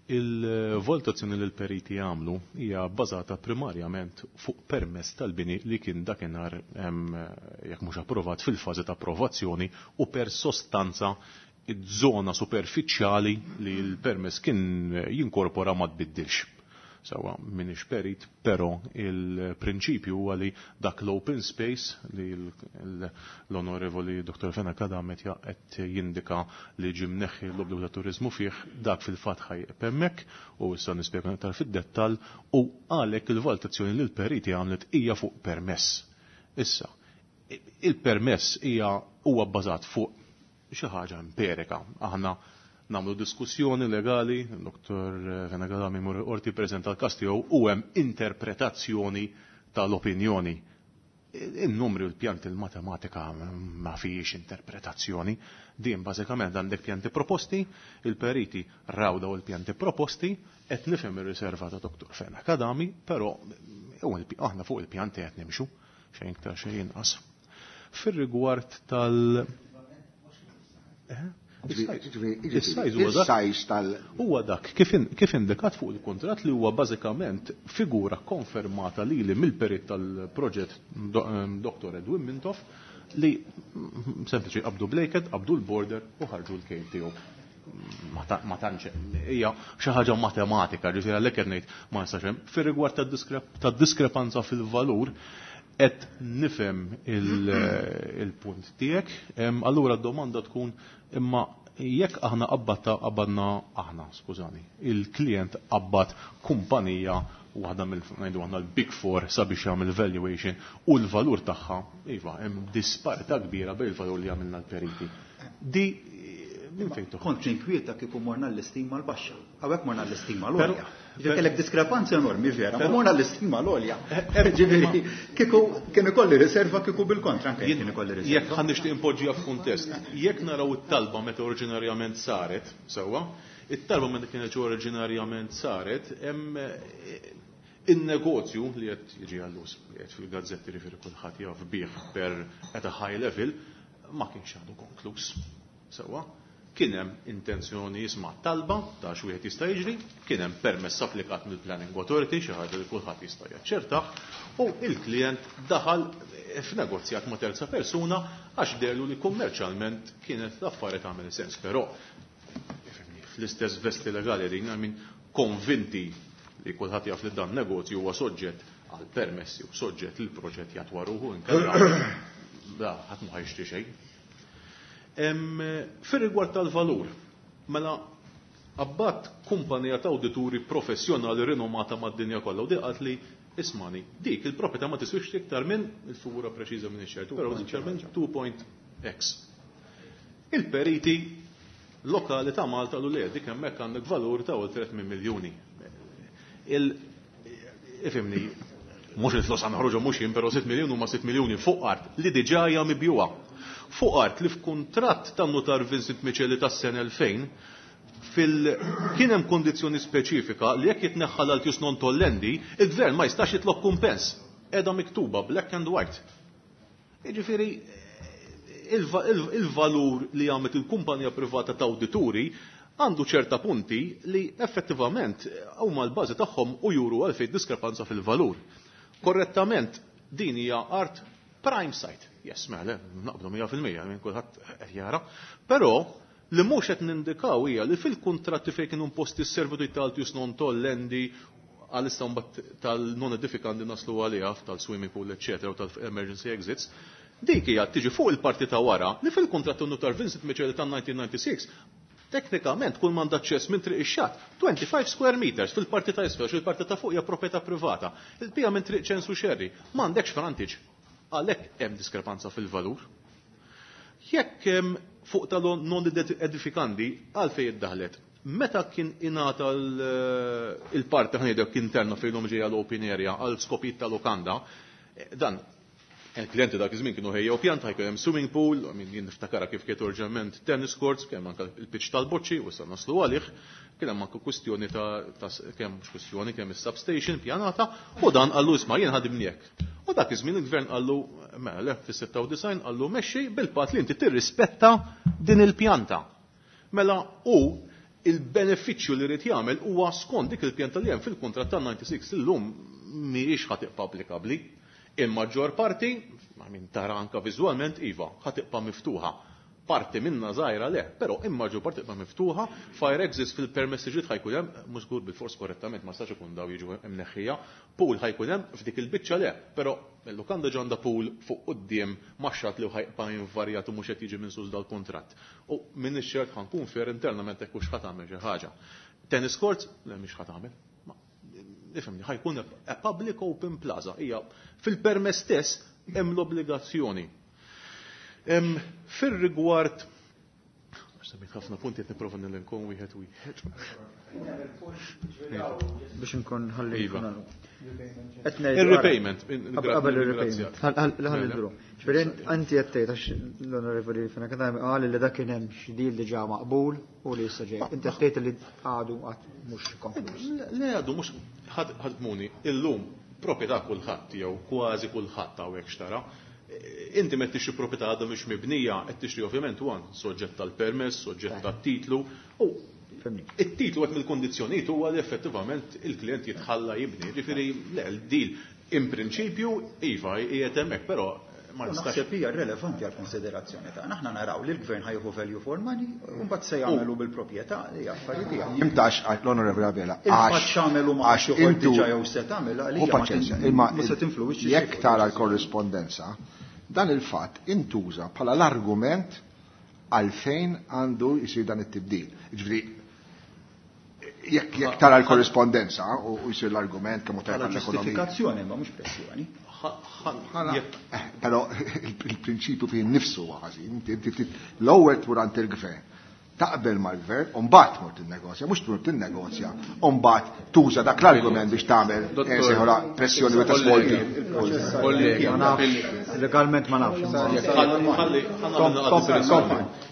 Il-valutazzjoni li l-periti għamlu hija bbażata primarjament fuq permess tal-bini li kien dakinhar jekk mhux approvat fil-fażi ta' approvazzjoni u per sostanza iż-żona superfiċjali li l-permess kien jinkorpora ma tbiddilx. Sawa minix perit, però il-prinċipju huwa li dak l-open space li l-onorevoli Dottor Fenech Adami qed jindika li ġie mneħħi l-obbligu ta' turiżmu fih, dak fil-fatt ħajqeb hemmhekk u issa nispjega iktar fid-dettall u għalhekk il-valutazzjoni li l-periti għamlet hija fuq permess. Issa, il-permess hija huwa bbażat fuq xi ħaġa empirika. Aħna nagħmlu diskussjoni legali, Dottor Fenech Adami mur qorti preżenta l-każ tiegħu u hemm interpretazzjoni tal-opinjoni. In-numri u l-pjanti l-matematika ma fijiex interpretazzjoni. Din bażikament għandek pjanti proposti, il-periti raw daw il-pjanti proposti, qed nifhem ir-riserva ta' Dottor Fenech Adami, però aħna fuq il-pjanti qed nimxu, xejn iktar xejn inqas. Fir-rigward tal- Il-size tal huwa dak kif indikat fuq il-kuntratt li huwa bażikament figura konfermata lili mill-perit tal-proġett Dottor Edwin Mintoff li sempliċi qabdu blejket, qabdu l-border u ħarġu l-kejl tiegħu. Ma tantx hija xi ħaġa matematika, ġifieri għalhekk qed ngħid ma nistax hemm. Fir-rigward tad-diskrepanza fil-valur, qed nifhem il-punt tiegħek, allura d-domanda tkun imma jekk aħna qabbatta qabadna aħna, skużani, il-klient qabbat kumpanija waħda mill ngħidu aħna l-Big Four sabiex jagħmel valuation u l-valur tagħha, iva, hemm disparità kbira bejn il-valur li għamilna l-periti. Di minn fejn toħroġ? Kont inkwieta kieku morna l-istima l-baxxa. Hawnhekk morna l-istima l-għolja. Ġifieri kellek diskrepanza enormi vera, ma morna l-istima l-għolja. Ġifieri kieku kien ikolli riserva kieku bil-kontra anke kien ikolli riserva. Jekk ħa nixtieq impoġġiha f'kuntest, jekk naraw it-talba meta oriġinarjament saret, sewwa, it-talba meta kienet oriġinarjament saret, hemm in-negozju li qed jiġi għallus, li qed fil-gazzetti ġifieri kulħadd jaf bih per at a high level, ma kienx għadu konkluż. Sewwa, kien hemm intenzjoni jisma' talba ta' xi wieħed jista' jiġri, kien hemm permess applikat mill-Planning Authority, xi ħaġa li kulħadd jista' jaċċertah, u il-klient daħal f'negozjat ma' terza persuna għax dehlu li kummerċjalment kienet l-affari tagħmel sens, però fl-istess vesti legali din, I mean, konvinti li kulħadd jaf li dan negozju huwa soġġett għal permessi u soġġett li l-proġett jatwa ruħu inkella da ħadd ma ħajxtri xejn. Fir-rigward tal-valur, mela abbat kumpanija ta' awdituri professjonali rinomata mad-dinja kollha u di qalt li ismani, dik il-proprjetà ma tiswix iktar minn il-figura preċiża minn ix-xert, però sinċerament two point X. Il-periti lokali ta' Malta qalu li dik hemmhekk għandek valur ta' oltre tmien miljuni. Il, ifimni, mhux il-flus għan ħroġu mhux jien, però sitt miljun huma sitt miljuni fuq art li diġà hija mibjuha. Fuq art li f'kuntratt tan-notar Vincent Miceli tas-sena elfejn fil kien hemm kondizzjoni speċifika li jekk jitneħħa l-altius non tollendi, il-gvern ma jistax jitlob kumpens. Qiegħda miktuba black and white. Jiġifieri il-valur li għamlet il-kumpanija privata ta' awdituri għandu ċerta punti li effettivament huma l-bażi tagħhom u juru għalfejn diskrepanza fil-valur. Korrettament din hija art prime site. Yes, mela, naqblu mija fil-mija, minn kulħadd qed jara. Però li mhux qed nindikaw hija li fil-kuntratti fejn kienu imposti s-servitù tal-altius non tollendi għalissa mbagħad tal-non edifikanti naslu għaliha tal-swimming pool, eċċetera, u tal-emergency exits, dik hija tiġi fuq il-parti ta' wara li fil-kuntratt notar Vincent Miceli ta' nineteen ninety-six teknikament kull m'għandha aċċess minn triq ix-xatt, twenty-five square meters fil-parti ta' isfel, fil-parti ta' fuq hija proprjetà privata. Il-bija minn triq Ċensu Xerri, m'għandekx frontage. Għalhekk hemm diskrepanza fil-valur. Jekk hemm fuq tal-non edifikandi, għalfejn iddaħlet. Meta kien ingħata il-parti ħanejdek interna fejn ġejja l-open area għal skopijiet ta' lokanda, dan Il-klienti dak iż-żmien kienu ħejjew pjanta, ħajkun hemm swimming pool, min jien niftakarha kif kienet oriġinalment tennis courts, kemm anke il-pitch tal-boċċi, u issa naslu għalih, kien hemm anke kwistjoni ta' kemm mhux kwistjoni kemm is-substation pjanata, u dan qallu isma' jien ħadimni hekk. U dak iż-żmien il-gvern qallu mela le fis-sitta u disgħin qallu mexxi bil-patt li inti tirrispetta din il-pjanta. Mela u il-benefiċċju li rid jagħmel huwa skont dik il-pjanta li hemm fil-kuntratt ta' disgħa u disgħin illum mhijiex ħa tibqa' applikabbli. Il-maġġor parti, ma min tara anka viżwalment, iva, ħa tibqa' miftuħa. Parti minna żgħira le, però il-maġġor parti tibqa' miftuħa, fire exits fil-permessi ġdid ħajkun hemm, mhux żgur bil-fors korrettament, ma stax ikun daw jiġu mneħħija, pool ħajkun hemm f'dik il-biċċa le, però il-lukanda ġanda pool fuq quddiem maxxat li ħajbqa' invarjat u mhux qed jiġi minn sus dal-kuntratt. U minn ix-xert ħankun fair internament hekk hux ħa tagħmel xi ħaġa. Tennis courts, le mhix ħa tagħmel. Ifhimni, ħajkun a public open plaza. Hija fil-permess stess hemm l-obbligazzjoni. Fir-rigward semmejt ħafna punti qed nipprova nilinkom wieħed wieħed. Biex nkun ħalli Iva. Il-repayment. Qabel il-repayment. Ħalli nduru. Ġifieri inti qed tgħid għax l-Onorevoli Fenech Adami qal li dak kien hemm xi deal diġà maqbul u li issa ġej. Inti qed tgħid li għadu qatt mhux konkluż. Le għadu mhux ħadmuni illum proprjetà kulħadd jew kważi kulħadd hawnhekk xtara. Inti meta tixtri proprjetà għadha mhux mibnija, qed tixtri ovvjament huwa soġġett tal-permess, soġġett tat-titlu u it-titlu qed mill-kondizzjonijiet huwa li effettivament il-klient jitħalla jibni. Ġifieri le l-deal in prinċipju iva qiegħed hemmhekk, però ma nistax. Naħseb hija relevanti għal konsiderazzjoni tagħna. Aħna naraw li l-gvern ħajħu value for money u mbagħad se jagħmlu bil-proprjetà li affarijiet tiegħu. Imtax l-Onorevoli Abela. Il-fatt x'għamelu ma xi diġà jew se tagħmel għalija ma se tinfluwixxi. Jekk tara l-korrispondenza, dan il-fatt intuża bħala l-argument għalfejn għandu jsir dan it-tibdil. Ġifieri jekk jekk tara l-korrispondenza u jsir l-argument kemm tajjeb għall-ekonomija. Ġustifikazzjoni ma mhux pressjoni. Però il-prinċipju fih innifsu huwa ħażin. L-ewwel tmur għand il-gvern, taqbel mal-gvern, u mbagħad tmur tinnegozja, mhux tmur tinnegozja, u mbagħad tuża dak l-argument biex tagħmel pressjoni u tasvolti. Kollega, legalment ma nafx.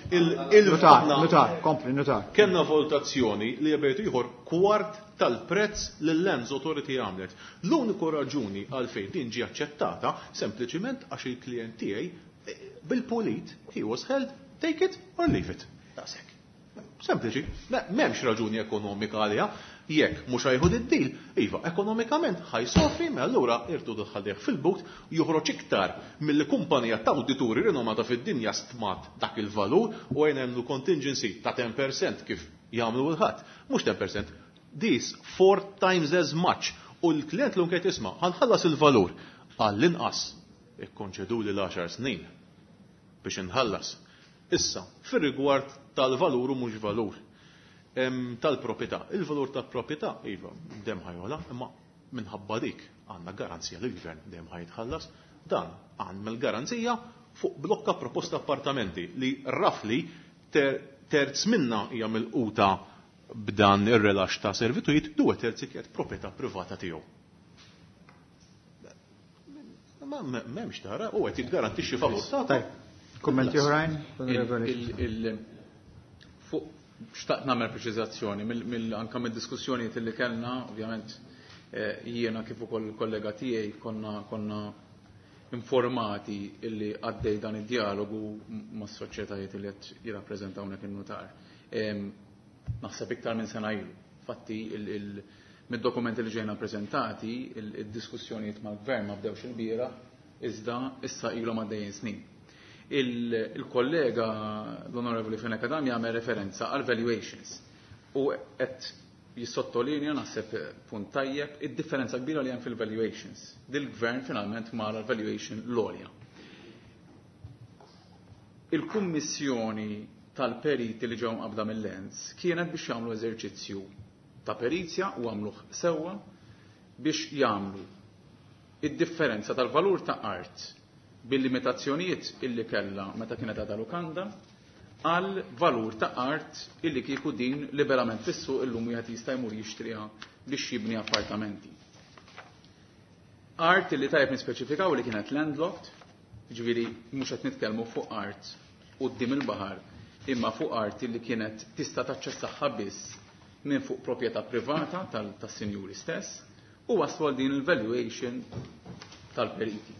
Nutar, kompli, nutar. Kellna valutazzjoni li jabejtu ieħor kwart tal-prezz li l-Lands Authority għamlet. L-uniku raġuni għalfejn din ġi aċċettata sempliċiment għax il-klient tiegħi bil-pulit he was held, take it or leave it. Daqshekk. Sempliċi, m'hemmx raġuni ekonomika għaliha, jekk mhux ħajħu id-deal, iva, ekonomikament ħajsofri, ma allura irdu dħalih fil-but joħroġ iktar mill-kumpanija ta' awdituri rinomata fid-dinja stmat dak il-valur u għajn hemm contingency ta' ten percent kif jagħmlu l-ħadd. Mhux ten percent, this four times as much. U l-klient l-lum qed jisma' ħanħallas il-valur għall-inqas ikkonċedu li l-għaxar snin biex inħallas. Issa, fir-rigward tal-valur u mhux valur tal-proprjetà. Il-valur tal-proprjetà, iva, dem ħajola, imma minħabba dik għandna garanzija li l-gvern dem ħajtħallas, dan għandna l-garanzija fuq blokka proposta appartamenti li rafli ter, terz minna hija milquta b'dan ir-relax ta' servitujiet, due terzi kienet proprjetà privata tiegħu. Ma m'hemmx tara, u qed jiggarantixxi valur ta' Kummenti oħrajn? Fuq xtaqt nagħmel preċiżazzjoni anke mid-diskussjonijiet li kellna, ovvjament jiena kif ukoll il-kollega tiegħi konna konna informati illi għaddej dan id-dialogu mas-soċjetajiet li qed jirrappreżentaw hawnhekk in-nutar. Naħseb iktar minn sena ilu. Fatti mid-dokumenti li ġejna preżentati, id-diskussjonijiet mal-gvern ma bdewx il-bieraħ, iżda issa ilhom għaddejjin snin. Il-kollega l-Onorevoli Fenech Adami jagħmel referenza għal valuations u qed jissottolinja naħseb punt tajjeb id-differenza kbira li hemm fil-valuations. Dil-gvern finalment mara l-valuation l-għolja. Il-kummissjoni tal-periti li ġew mqabda mill-Lens kienet biex jagħmlu eżerċizzju ta' perizja u għamluh sewwa biex jagħmlu id-differenza tal-valur ta' art bil-limitazzjonijiet illi kellha meta kienet għadha lukanda għal valur ta' art illi kieku din liberament fis-suq illum wieħed jista' jmur jixtriha biex jibni appartamenti. Art illi tajjeb nispeċifikaw li kienet landlocked, Ġifieri mhux qed nitkellmu fuq art quddiem il-baħar, imma fuq art li kienet tista' taċċessaha biss minn fuq proprjetà privata tas-sinjuri stess u waslu għal din il-valuation tal-periti.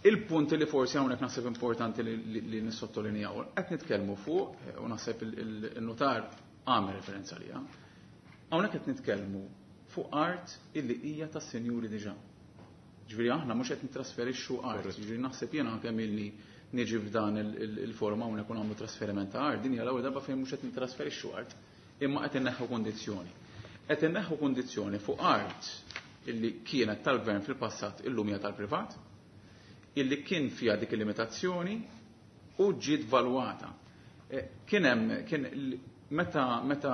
Il-punt li forsi hawnhekk naħseb importanti li, li nissottolinjaw, qed nitkellmu fuq, u naħseb il-notar għamel referenza liha, hawnhekk qed nitkellmu fuq art illi hija tas-sinjuri diġà. Ġifieri aħna mhux qed nittrasferixxu art, ġifieri naħseb jiena kemm illi niġi f'dan il-forma hawnhekk u nagħmlu trasferiment ta' art, din hija l-ewwel darba fejn mhux qed nittrasferixxu art, imma qed inneħħu kundizzjoni. Qed inneħħu kundizzjoni fuq art illi kienet tal-gvern fil-passat illum hija tal-privat, illi kien fiha dik il-limitazzjoni u ġiet valwata. Kien hemm kien meta meta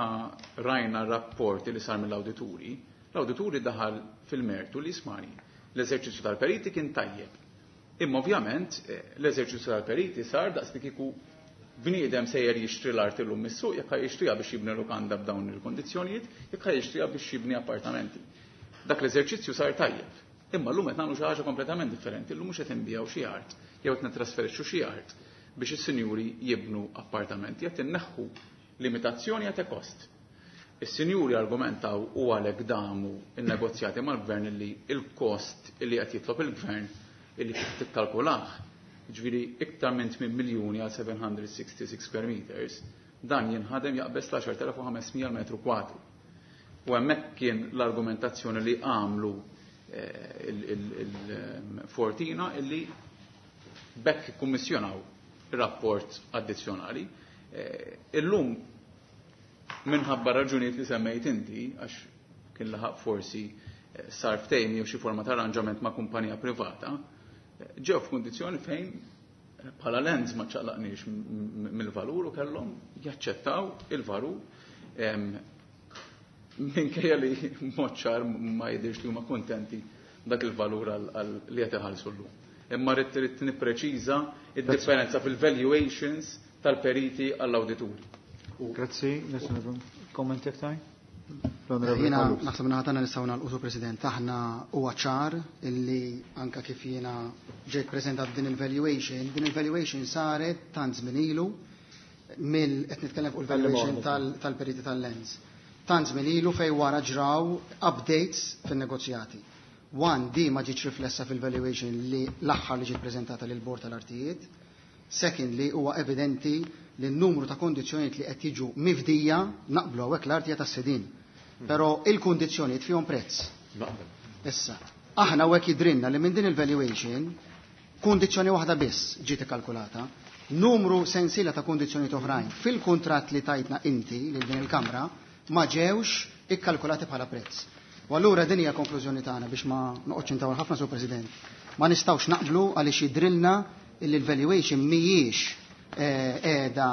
rajna r-rapport li sar mill-awdituri, l-awdituri daħal fil-mertu li ismani. L-eżerċizzju tal-periti kien tajjeb. Imma ovvjament l-eżerċizzju tal-periti sar daqs li kieku bniedem sejjer jixtri l-art illum mis-suq, jekk jixtriha biex jibni lukanda b'dawn il-kondizzjonijiet, jekk jixtriha biex jibni appartamenti. Dak l-eżerċizzju sar tajjeb. Imma llum qed nagħmlu xi ħaġa kompletament differenti, llum mhux qed inbijaw xi art, jew qed nittrasferixxu xi art biex is-sinjuri jibnu appartamenti, qed inneħħu limitazzjoni għat kost. Is-sinjuri argumentaw u għalhekk damu in-negozjati mal-gvern illi il-kost illi qed jitlob il-gvern illi kif tikkalkulah, ġifieri iktar minn tmien miljuni għal seven hundred sixty-six square meters, dan jinħadem jaqbeż l-għaxar telef u ħames mija metru kwadru. U hemmhekk kien l-argumentazzjoni li għamlu il-Fortina illi bekk kummissjonaw rapport addizzjonali. Illum minħabba raġunijiet li semmejt inti, għax kien laħaq forsi sar ftehim jew xi forma ta' arranġament ma' kumpanija privata, ġew f'kundizzjoni fejn bħala lens ma ċaqlaqniex mill-valur u kellhom jaċċettaw il-valur minkejja li mod ċar ma jidhirx li huma kuntenti dak il-valur li qed iħallsu llum. Imma rrid trid nippreċiża id-differenza fil-valuations tal-periti għall-awdituri. Grazzi, kommenti aktar? Jiena naħseb naħa tagħna nistgħu nagħlqu, President, aħna huwa ċar illi anka kif jiena ġejt preżentat din il-valuation, din il-valuation saret tant żmien ilu mill qed nitkellem fuq il-valuation tal-periti tal-lens. Tant żmien ilu fejn wara ġraw updates fin-negozjati. One, di ma ġietx riflessa fil-valuation li l-aħħar li ġiet preżentata lil bord tal-artijiet. Secondly, huwa evidenti li n-numru ta' kondizzjonijiet li qed jiġu mifdija naqblu hawnhekk l-artija tas-sidin. Però il-kundizzjonijiet fihom prezz. Issa, aħna hawnhekk jidrinna li minn din il-valuation kundizzjoni waħda biss ġiet ikkalkulata, numru sensiela ta' kundizzjonijiet oħrajn fil-kuntratt li tajtna inti lil din il-Kamra ma ġewx ikkalkulati bħala prezz. U allura din hija konklużjoni tagħna biex ma noqgħodx intawal ħafna, Sur President. Ma nistgħux naqblu għaliex jidrilna illi l-valuation mhijiex qiegħda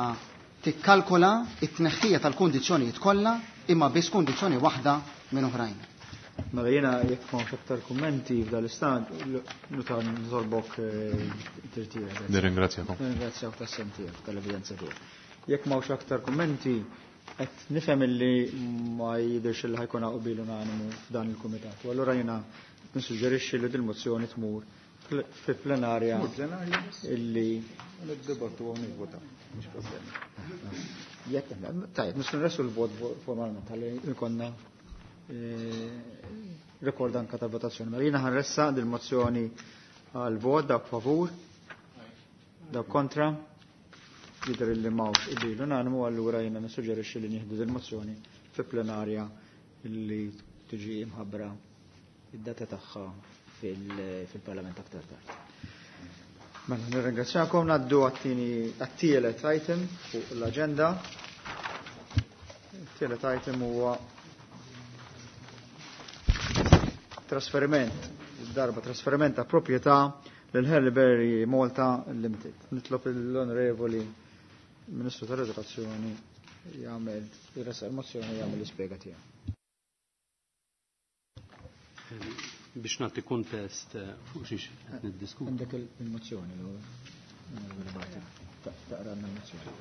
tikkalkola t-tneħħija tal-kundizzjonijiet kollha imma biss kundizzjoni waħda minn oħrajn. Mela jiena jekk m'hawnx aktar kummenti f'dan l-istat, nuta nitolbok tirtira. Nirringrazzjakom. Nirringrazzjak tas-sem tiegħek tal-evidenza tiegħek. Jekk m'hawnx aktar kummenti, qed nifhem illi ma jidhirx illi ħajkun hawn qbil unanimu f'dan il-kumitat. U allura jiena nissuġġerixxi li dil-mozzjoni tmur fi plenarja illi niddibattu u nivvota. Mhux problema. Jekk tajjeb, nistgħu nressu l-vot formalment ħalli jkollna rekord anka ta' votazzjoni. Mela jiena ħanressa dil-mozzjoni għal vot dak favur, dak kontra, jidher illi m'hawnx qbil unanimu, allura jiena nissuġġerixxi li nieħdu dil-mozzjoni fi plenarja illi tiġi imħabbra id-data tagħha fil-Parlament aktar tard. Mela, nirringrazzjakom, ngħaddu għat-tieni għat-tielet item fuq l-aġenda. It-tielet item huwa trasferiment, darba trasferiment ta' proprjetà lil Haileybury Malta Limited. Nitlob l-Onorevoli Ministru tal-Edukazzjoni jagħmel jressaq il-mozzjoni jagħmel l-ispjega tiegħu. Biex nagħti kuntest fuq xiex qed niddiskutu. Għandek il-mozzjoni l-ewwel. Taqra l-mozzjoni.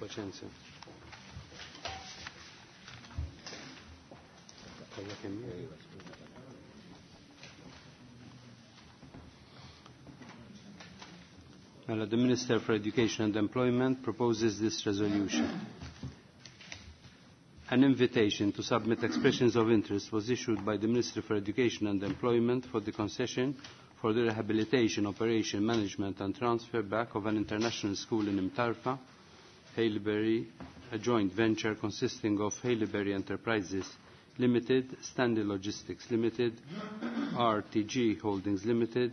Paċenzja. Mela, the Minister for Education and Employment proposes this resolution. An invitation to submit expressions of interest was issued by the Ministry for Education and Employment for the concession for the rehabilitation, operation, management and transfer back of an international school in Imtarfa, Haileybury, a joint venture consisting of Haileybury Enterprises Limited, Stanley Logistics Limited, R T G Holdings Limited.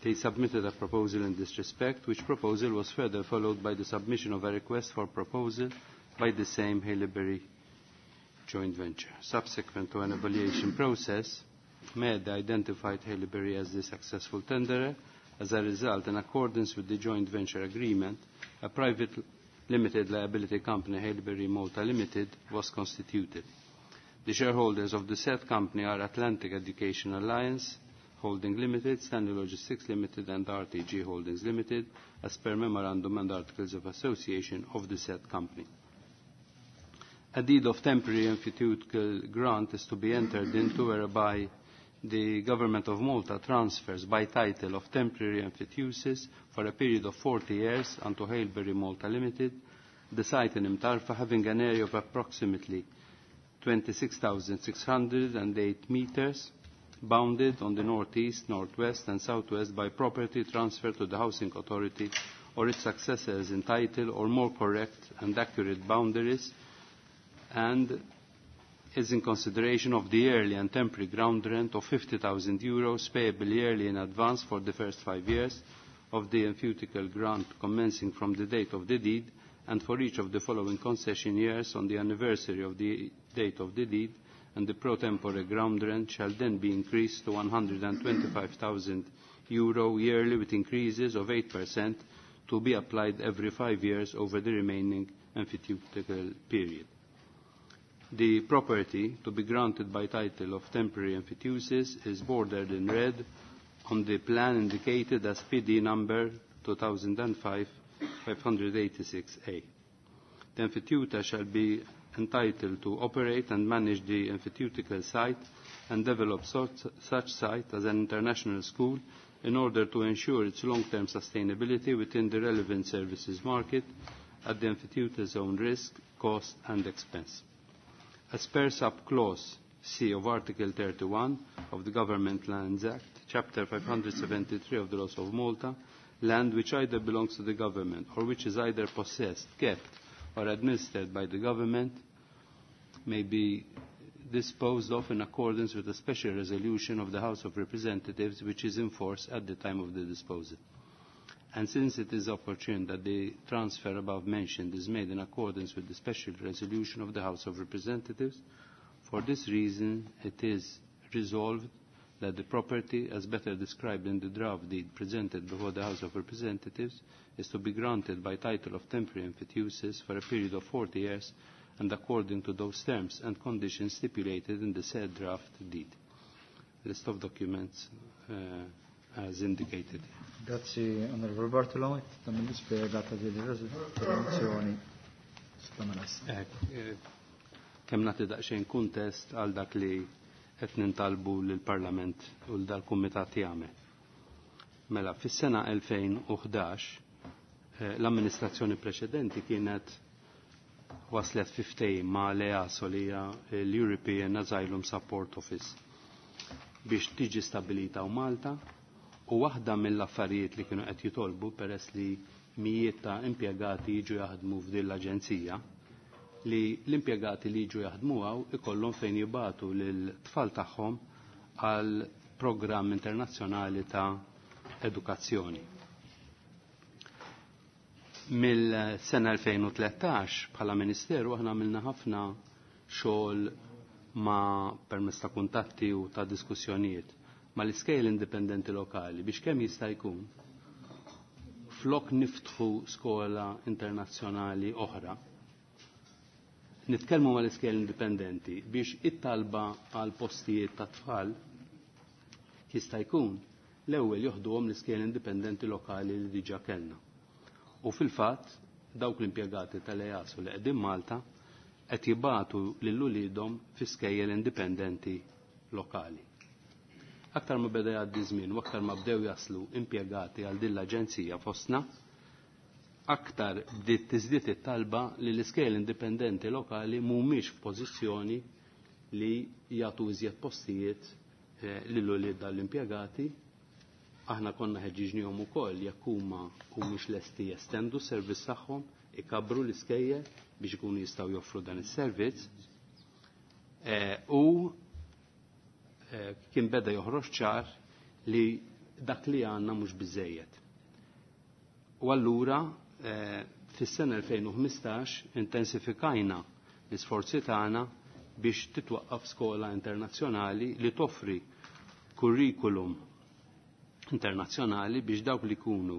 They submitted a proposal in this respect, which proposal was further followed by the submission of a request for proposal by the same Haileybury joint venture. Subsequent to an evaluation process, M E D identified Haileybury as the successful tenderer. As a result, in accordance with the joint venture agreement, a private limited liability company, Haileybury Malta Limited, was constituted. The shareholders of the said company are Atlantic Education Alliance Holding Limited, Stanley Logistics Limited and R T G Holdings Limited, as per memorandum and articles of association of the said company. A deed of temporary emphyteutical grant is to be entered into whereby the Government of Malta transfers by title of temporary emphyteusis for a period of forty years unto Haileybury Malta Limited, the site in Imtarfa having an area of approximately twenty-six thousand six hundred and eight meters, bounded on the northeast, northwest and southwest by property transferred to the Housing Authority or its successors in title or more correct and accurate boundaries, and is in consideration of the yearly and temporary ground rent of fifty thousand euros payable yearly in advance for the first five years of the emphyteutical grant commencing from the date of the deed, and for each of the following concession years on the anniversary of the date of the deed, and the pro tempore ground rent shall then be increased to one hundred and twenty-five thousand euro yearly with increases of eight percent to be applied every five years over the remaining emphyteutical period. The property to be granted by title of temporary emphyteusis is bordered in red on the plan indicated as P D number two thousand and five five hundred eighty-six A. The emphyteuta shall be entitled to operate and manage the emphyteutical site and develop such, such site as an international school in order to ensure its long-term sustainability within the relevant services market at the emphyteuta's own risk, cost and expense. As per sub-clause C of Article thirty-one of the Government Lands Act, Chapter five hundred seventy-three of the Laws of Malta, land which either belongs to the government or which is either possessed, kept or administered by the government may be disposed of in accordance with a special resolution of the House of Representatives which is in force at the time of the disposal. And since it is opportune that the transfer above mentioned is made in accordance with the special resolution of the House of Representatives, for this reason it is resolved that the property, as better described in the draft deed presented before the House of Representatives, is to be granted by title of temporary emphyteusis for a period of forty years and according to those terms and conditions stipulated in the said draft deed. List of documents uh, as indicated. Grazie, Onorevole Bartolo. Tammi spiegata di risoluzioni. Kemm nagħti daqsxejn kuntest għal dak li qed nintalbu lill-Parlament u l dal-Kumitat jagħmel. Mela, fis-sena elfejn u ħdax l-amministrazzjoni preċedenti kienet waslet fi ftehim ma' l-E A S O li hija l-European Asylum Support Office biex tiġi stabilita u Malta, u waħda mill-affarijiet li kienu qed jitolbu peress li mijiet ta' impjegati jiġu jaħdmu f'din l-aġenzija, li l-impjegati li jiġu jaħdmu hawn ikollhom fejn jibatu lil tfal tagħhom għal programm internazzjonali ta' edukazzjoni. Mill-sena elfejn u tlettax bħala Ministeru aħna għamilna ħafna xogħol ma' permezz ta' kuntatti u ta' diskussjonijiet mal-iskejjel indipendenti lokali biex kemm jista' jkun flok niftħu skola internazzjonali oħra, nitkellmu mal-iskejjel indipendenti biex it-talba għal postijiet ta' tfal jista' jkun l-ewwel joħduhom l-iskejjel indipendenti lokali li diġà kellna. U fil-fatt dawk l-impjegati tal-E A S O li qegħdin Malta qed jibatu lil uliedhom fi skejjel indipendenti lokali. Aktar ma beda jgħaddi żmien u aktar ma bdew jaslu impjegati għal din l-aġenzija fostna, aktar bdiet tiżdied it-talba li l-iskejjel indipendenti lokali mhumiex f'pożizzjoni li jagħtu iżjed postijiet eh, lil ulied dal-impjegati. Aħna konna ħeġġiġnihom ukoll jekk huma humiex lesti jestendu s-servizz tagħhom, ikabru l-iskejjel biex ikunu jistgħu joffru dan is-servizz. Eh, u eh, kien beda joħroġ ċar li dak li għandna mhux biżejjed. U allura eh, fis-sena elfejn u ħmistax intensifikajna l-isforzi tagħna biex titwaqqaf skola internazzjonali li toffri kurrikulum internazzjonali biex dawk li jkunu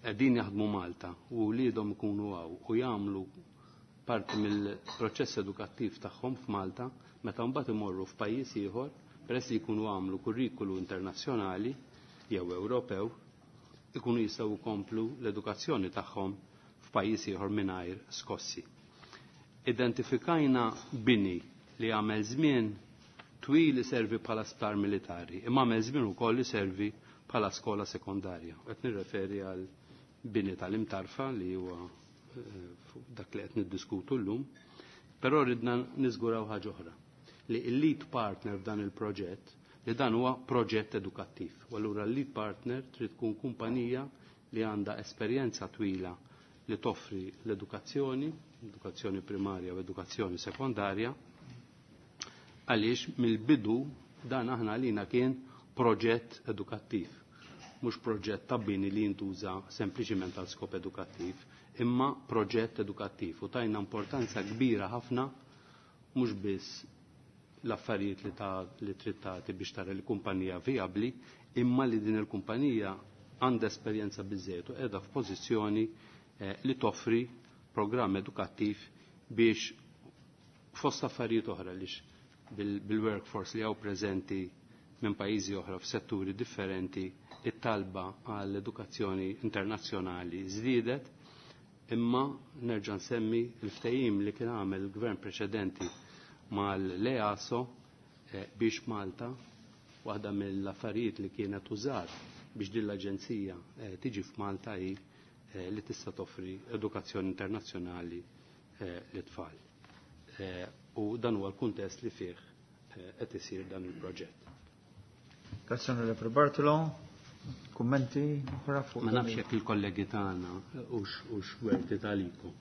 qegħdin jaħdmu Malta u wliedhom ikunu hawn u jagħmlu parti mill-proċess edukattiv tagħhom f'Malta, meta mbagħad imorru f'pajjiż ieħor, peress li jkunu għamlu kurrikulu internazzjonali jew Ewropew, ikunu jistgħu jkomplu l-edukazzjoni tagħhom f'pajjiż ieħor mingħajr skossi. Identifikajna bini li għamel żmien twil iservi bħala sptar militari, imma għamel żmien ukoll iservi bħala skola sekondarja. Qed nirreferi għal bini tal-Imtarfa li huwa dak li qed niddiskutu llum, però ridna niżguraw ħaġa oħra, li l-lead partner f'dan il-proġett, li dan huwa proġett edukattiv. U allura l-lead partner trid tkun kumpanija li għandha esperjenza twila li toffri l-edukazzjoni, edukazzjoni primarja u edukazzjoni sekondarja, għaliex mill-bidu dan aħna għalina kien proġett edukattiv, mhux proġett ta' bini li jintuża sempliċiment għal skop edukattiv, imma proġett edukattiv. U tajna importanza kbira ħafna mhux biss l-affarijiet li ta' li trid tagħti biex tara l-kumpanija vijabbli, imma li din il-kumpanija għandha esperjenza biżżejjed u qiegħda f'pożizzjoni eh, li toffri programm edukattiv biex fost affarijiet oħra lix bil-workforce li hawn preżenti minn pajjiżi oħra f'setturi differenti, it-talba għall-edukazzjoni internazzjonali żdiedet, imma nerġa' nsemmi l-ftehim li kien għamel il-gvern preċedenti mal-EASO eh, biex Malta, waħda mill-affarijiet li kienet użat biex din l-aġenzija eh, tiġi f'Malta hi eh, li tista' toffri edukazzjoni internazzjonali eh, lit-tfal. Eh, u dan huwa l-kuntest li fih qed isir dan il-proġett. Grazie Onorevole Bartolo. Kummenti oħra fuq? Ma nafx jekk il-kollegi tagħna hux hux werti tagħlikom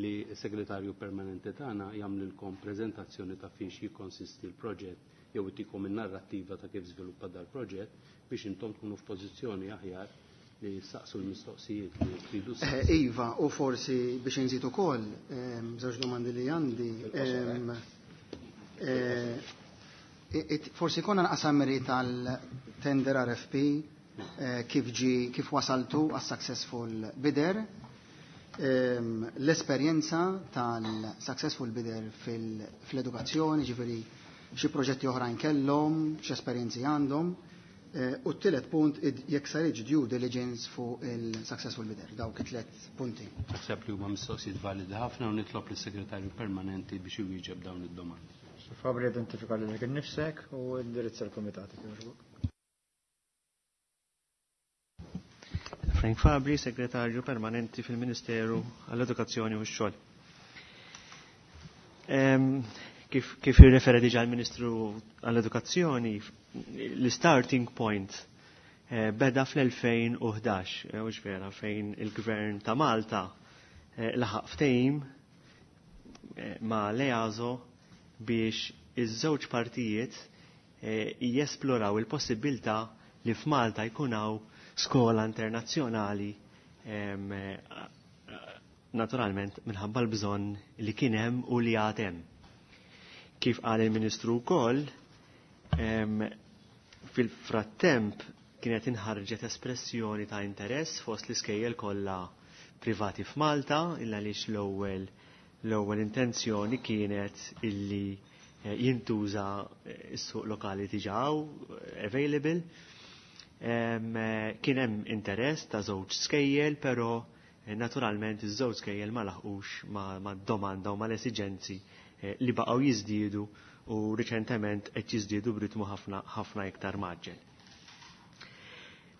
li s-segretarju permanenti tagħna jagħmlilkom preżentazzjoni ta' fiex jikkonsisti l-proġett jew itikom in-narrattiva ta' kif żviluppa dal-proġett biex intom tkunu f'pożizzjoni aħjar li saqsu l-mistoqsijiet li tridu. Iva, u forsi biex inżid ukoll żewġ domandi li għandi. Forsi konna naqsamri tal-tender R F P kif ġi kif wasaltu għas-successful bidder, l-esperjenza tal-successful bidder fil-edukazzjoni, ġifieri xi proġetti oħrajn kellhom, x'esperjenzi għandhom, u t-tielet punt jekk saritx due diligence fuq il-successful bidder, dawk it-tliet punti. Naħseb li huma mistoqsijiet validi ħafna u nitlob lis-segretarju permanenti biex iwieġeb dawn id-domandi. Fabri, identifika lilek innifsek u indirizza l-kumitat. Frank Fabri, segretarju permanenti fil-Ministeru għall-Edukazzjoni u x-Xogħol. Kif, kif irrefera diġà l-Ministru għall-Edukazzjoni, l-starting point eh, beda fl-elfejn u ħdax, eh, u vera, fejn il-Gvern ta' Malta eh, laħaq ftehim eh, ma' l-EASO biex iż-żewġ partijiet eh, jesploraw il-possibilità li f'Malta jkun hawn skola internazzjonali, em, naturalment minħabba l-bżonn li kien hemm u li għad hemm. Kif qal il-Ministru wkoll, em, fil-frattemp kienet inħarġet espressjoni ta' interess fost l-iskejjel kollha privati f'Malta, illa għaliex l-ewwel l-ewwel intenzjoni kienet illi, eh, jintuża s-suq lokali diġà available. Em, eh, kien hemm interess ta' żewġ skejjel, però, eh, naturalment iż-żewġ skejjel ma laħqux ma', ma' domanda u mal-esiġenzi li baqgħu jiżdiedu u riċentement qed jiżdiedu b'ritmu ħafna ħafna iktar maġġel.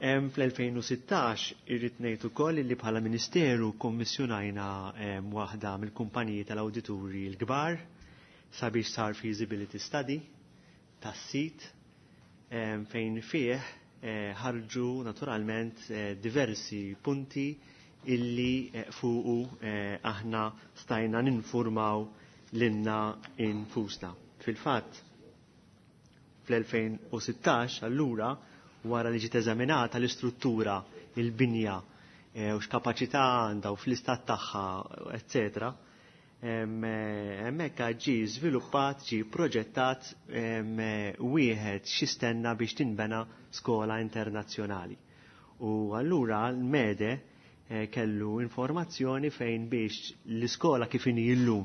Fl-elfejn u sittax irrid ngħid ukoll li bħala Ministeru kommissjonajna waħda mill-kumpaniji tal-awdituri l-kbar sabiex sar feasibility study tas-sit fejn fih ħarġu naturalment diversi punti illi fuqu aħna stajna ninformaw lilna infusna. Fil-fatt, fl-elfejn u sittax allura wara li ġiet eżaminata l-istruttura, il-binja, u x'kapaċità għandha u fl-istat tagħha, eccetera, hemmhekk ġie żviluppat, ġie proġettat wieħed xistenna biex tinbena skola internazzjonali. U allura l-Mede kellu informazzjoni fejn biex l-iskola kif inhi llum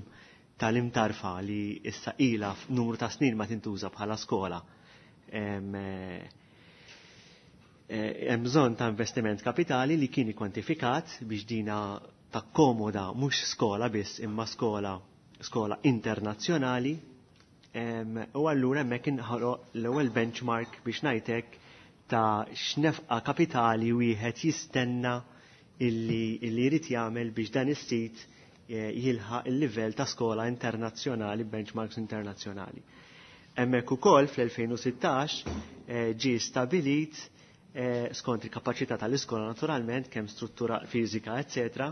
tal-Imtarfa li issa ilha numru ta' snin ma tintuża bħala skola, hemm bżonn ta' investiment kapitali li kien ikkwantifikat biex dina takkomoda mhux skola biss imma skola, skola internazzjonali, u allura hemmhekk inħoloq l-ewwel benchmark biex ngħidlek ta' x'nefqa kapitali wieħed jistenna illi, illi jrid jagħmel biex dan is-sit jilħaq il-livell ta' skola internazzjonali, benchmarks internazzjonali. Hemmhekk ukoll fl-elfejn u sittax ġie stabilit skont il-kapaċità tal-iskola naturalment, kemm struttura fiżika, eccetera,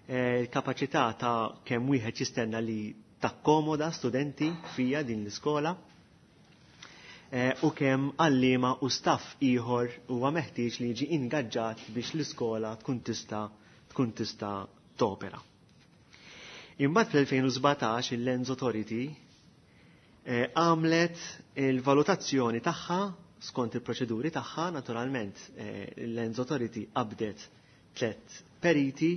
il-kapaċità ta' kemm wieħed jistenna li takkomoda studenti fija din l-iskola, u kemm għalliema u staff ieħor huwa meħtieġ li jiġi ingaġġat biex l-iskola tkun tista' tkun tista' topera. Imbagħad fl-elfejn u sbatax il-Lands Authority għamlet il-valutazzjoni tagħha skont il-proċeduri tagħha, naturalment il-Lands Authority qabdet tliet periti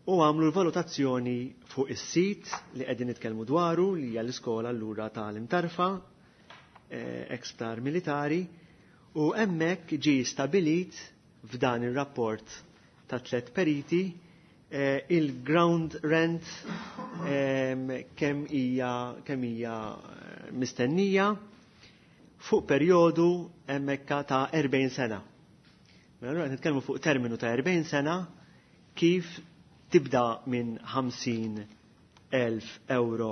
u għamlu l-valutazzjoni fuq is-sit li qegħdin nitkellmu dwaru li hija l-iskola allura tal-Imtarfa, ex-sptar militari, u hemmhekk ġie stabilit f'dan ir-rapport ta' tliet periti il-ground rent kemm hija kemm hija mistennija fuq perjodu hemmhekk ta' erbgħin sena. Mela allura qed nitkellmu fuq terminu ta' erbgħin sena kif tibda minn ħamsin elf euro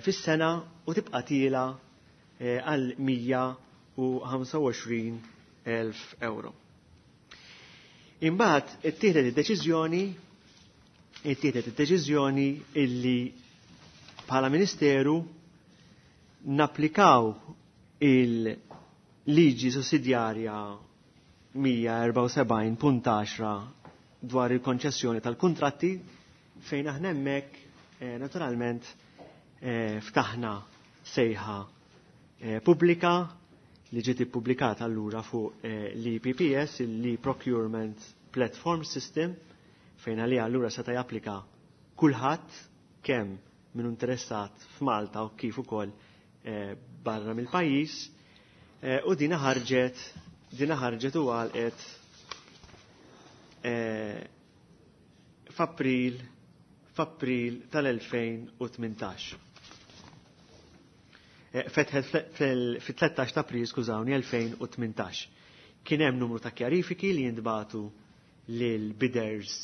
fis-sena u tibqa' tiela għal mija u ħamsa u għoxrin elf euro. Imbagħad ittieħdet id-deċiżjoni, ittieħdet id-deċiżjoni illi bħala Ministeru napplikaw il-liġi sussidjarja mija erbgħa u sebgħin punt għaxra dwar il-konċessjoni tal-kuntratti fejn aħna hemmhekk naturalment ftaħna sejħa pubblika li ġiet ippubblikata allura fuq l-E P P S, l-E-Procurement Platform System, fejn għalija allura seta' japplika kulħadd kemm min interessat f'Malta u kif ukoll barra mill-pajjiż, u dina ħarġet, dina ħarġet u għalqet f'April, f'April tal-elfejn u tmintax. Fetħet fit-tlettax ta' April, skużawni, elfejn u tmintax. Kien hemm numru ta' kjarifiki li jintbagħtu lil bidders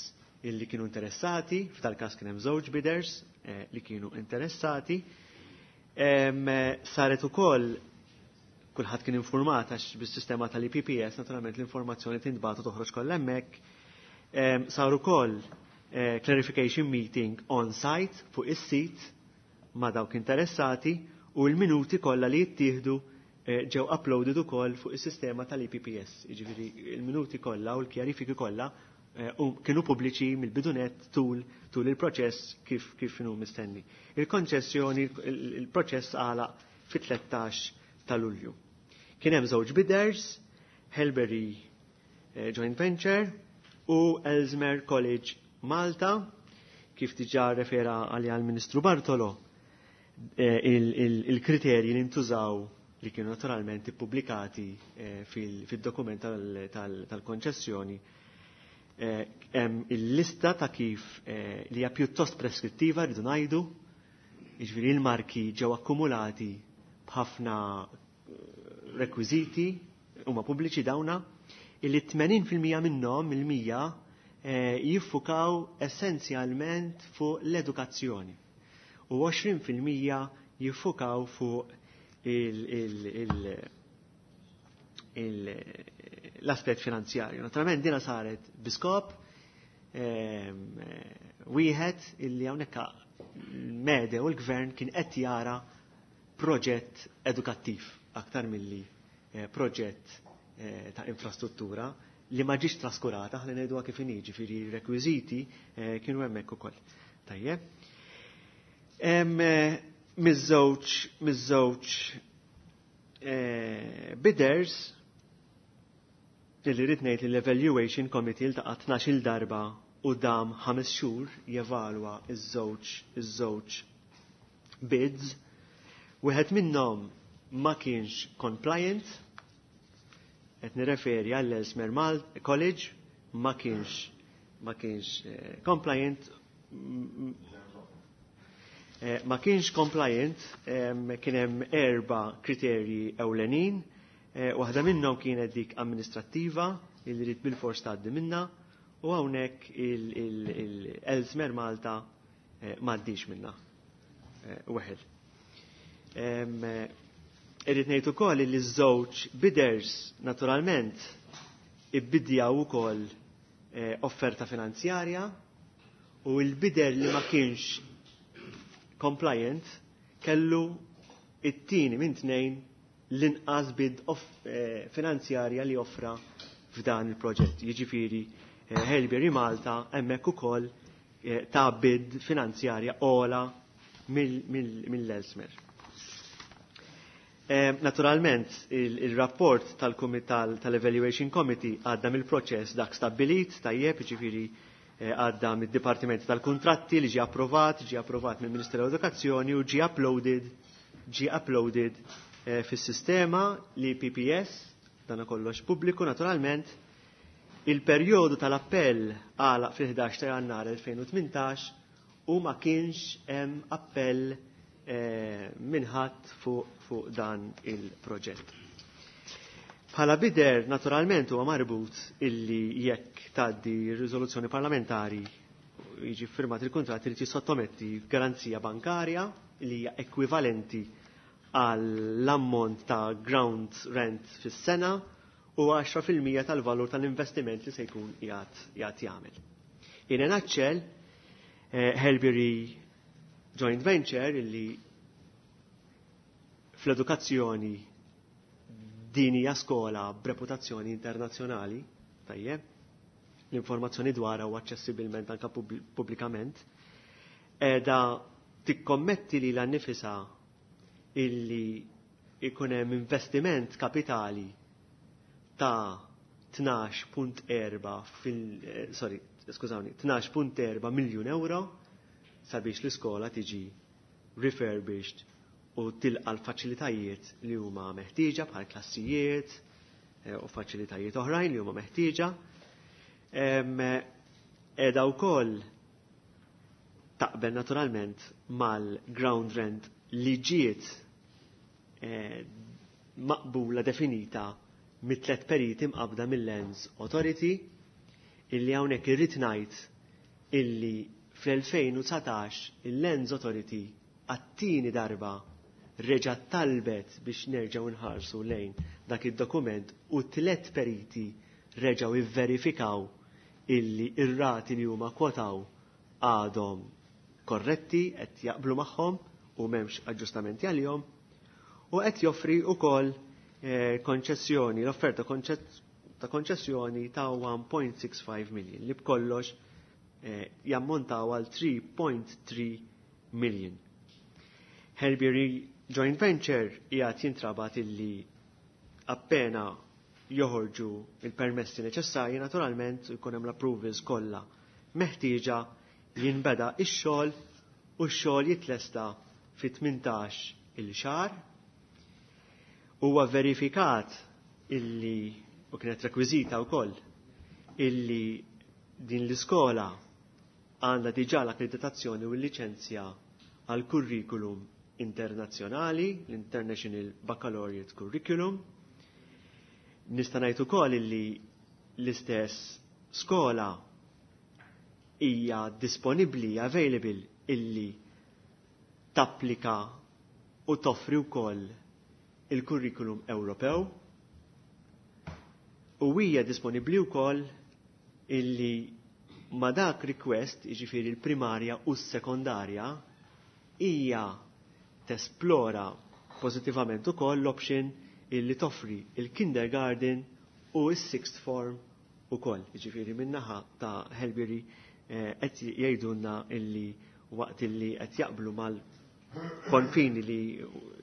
illi kienu interessati, f'tal każ kien hemm żewġ bidders li kienu interessati. Saret ukoll kulħadd kien informat għax bis-sistema tal-E P P S naturalment l-informazzjoni tintbagħtu toħroġ kollha hemmhekk. Sar ukoll clarification meeting on site fuq is-sit ma' dawk interessati u l-minuti kollha li jittieħdu ġew uploaded ukoll fuq is-sistema tal-E P P S. Jiġifieri l-minuti kollha u l-kjarifiki kollha kienu pubbliċi mill-bidunet tul, tul il-proċess kif, kif inhu mistenni. Il-konċessjoni, il-proċess għalaq fit-tlettax ta' Lulju. Kien hemm żewġ bidders, Halebury Joint Venture u Ellesmere College Malta, kif diġà refera għalija l-Ministru Bartolo, il-kriterji li ntużaw li kienu naturalment ippubblikati fil-dokument tal-konċessjoni, hemm il-lista ta' kif li hija pjuttost preskrittiva rridu ngħidu, Jiġifieri il-marki ġew akkumulati b'ħafna rekwiżiti huma pubbliċi dawna illi tmenin fil-mija minnhom il-mija jiffukaw essenzjalment fuq l-edukazzjoni u għoxrin fil-mija jiffukaw fuq l-aspett finanzjarju. Naturalment dina saret biskop wieħed illi hawnhekk l-mede u l-gvern kien qed jara proġett edukattiv aktar milli proġett ta' infrastruttura li ma ġiex traskurata, ħalli ngħiduha kif inhi, ġifieri rekwiżiti kienu hemmhekk ukoll. Tajjeb. Miż-żewġ miż-żewġ bidders illi rrid ngħid li l-Evaluation Committee ltaqa' tnax-il darba u dam ħames xhur jevalwa iż-żewġ iż-żewġ bids. Wieħed minnhom ma kienx compliant, qed nirreferi għall Ellesmere Mal College, ma kienx ma kienx compliant, ma kienx compliant, kien hemm erba' kriterji ewlenin, waħda minnhom kienet dik amministrattiva li rid bil-fors tgħaddi minnha, u hawnhekk il-Ellesmere Malta m'għaddix minnha weħel. Irrid ngħid ukoll li ż-żewġ bidders naturalment ibbidjaw ukoll offerta finanzjarja u l-bidder li ma kienx compliant kellu it-tieni minn tnejn l-inqas bid finanzjarja li offra f'dan il-proġett. Jiġifieri Haileybury Malta hemmhekk ukoll ta' bid finanzjarja ola mill-Ellesmere. Naturalment, il-rapport tal-Evaluation Committee għadda mill-proċess dak stabbilit, tajjeb, ġifieri għadda mid-Dipartiment tal-Kuntratti li ġie approvat, ġie approvat mill-Ministeru tal-Edukazzjoni u ġie uploaded, ġie uploaded fis-sistema li P P S, dan kollox pubbliku naturalment. Il-perjodu tal-appell għalaq fil-ħdax ta' Jannar elfejn u tmintax u ma kienx hemm appell minħadd fuq fu dan il-proġett. Bħala bider, naturalment, huwa marbut illi jekk tgħaddi r-riżoluzzjoni parlamentari jiġi firmat il-kuntratt irid jissottometti garanzija bankarja li hija ekwivalenti għall-ammont ta' ground rent fis-sena u għaxra fil-mija tal-valur tal-investiment li se jkun qiegħed jagħmel. In a nutshell, Haileybury Joint Venture illi fl-edukazzjoni din hija skola b'reputazzjoni internazzjonali, tajjeb, l-informazzjoni dwarha u aċċessibilment anke pubblikament, qiegħda tikkommetti lilha nnifisha illi ikun hemm investiment kapitali ta' tnax punt erba' fil, sorry, skużawni, tnax punt erba' miljun euro sabiex l-iskola tiġi refurbished u tilqa l-faċilitajiet li huma meħtieġa bħal klassijiet u faċilitajiet oħrajn li huma meħtieġa. Qiegħda wkoll taqbel naturalment mal-ground rent li ġiet maqbula definita mit-tlet periti mqabda mill-Lands Authority illi hawnhekk irrid ngħid illi fl-elfejn u dsatax il-Lands Authority għat-tieni darba reġa' talbet biex nerġgħu nħarsu lejn dak id-dokument u tliet periti reġgħu ivverifikaw illi ir-rati li huma kwotaw għadhom korretti, qed jaqblu magħhom u m'hemmx aġġustamenti għalihom, u qed joffri wkoll konċessjoni, l-offerta ta' konċessjoni ta' one point six five million li b'kollox jammontaw għal three point three million. Haileybury Joint Venture qiegħed jintrabat illi appena joħorġu il-permessi neċessarji naturalment jkun hemm l-approvals kollha meħtieġa jinbeda x-xogħol u x-xogħol jitlesta fi tmintax il-xahar. Huwa verifikat illi, u kienet rekwiżita wkoll, illi din l-iskola għandha diġà l-akkreditazzjoni u l-liċenzja għal kurrikulum internazzjonali, l-International Baccalaureate Curriculum. Nista' ngħid ukoll illi l-istess skola hija disponibbli, available illi tapplika u toffri wkoll il-kurrikulum Ewropew u hija disponibbli wkoll illi ma dak request, jiġifieri l-primarja u s-sekondarja, hija tesplora pożittivament ukoll l-option illi toffri il-kindergarten u s-sixth form ukoll. Jiġifieri min-naħa ta' Helbury qed jgħidulna illi waqt illi qed jaqblu mal-konfini li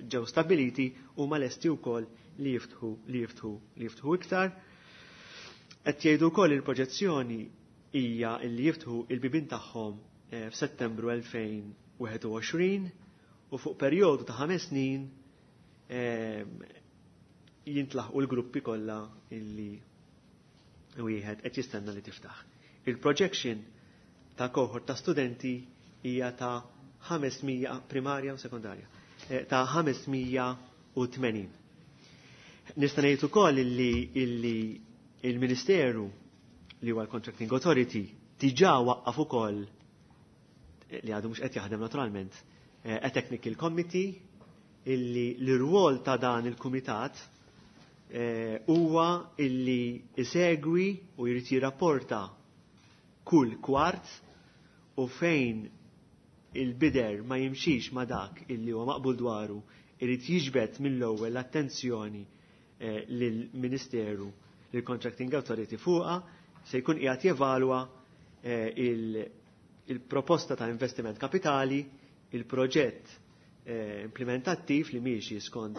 ġew stabiliti huma lesti wkoll li jiftħu li jiftħu li jiftħu iktar. Qed jgħidu wkoll il-proġezzjoni hija li jiftħu il-bibien tagħhom f'Settembru elfejn wieħed u għoxrin u fuq perjodu ta' ħames snin jintlaħqu l-gruppi kollha illi wieħed qed jistenna li tiftaħ. Il-projection ta' kohort ta' studenti hija ta' ħames mija primarja u sekondarja, ta' ħames mija u tmenin. Nista' ngħid ukoll illi, illi il-Ministeru li huwa l-Contracting Authority diġà waqqaf ukoll, li għadu mhux qed jaħdem naturalment, a Technical Committee illi l-rwol ta' dan il-kumitat huwa illi isegwi u jrid jirrapporta kull kwart u fejn il-bider ma jimxix ma dak illi huwa maqbul dwaru irid jiġbed mill-ewwel l-attenzjoni lill-Ministeru, lill-Contracting Authority fuqha, se jkun qiegħed jevalwa il-proposta ta' investiment kapitali, il-proġett implementattiv li miexi skont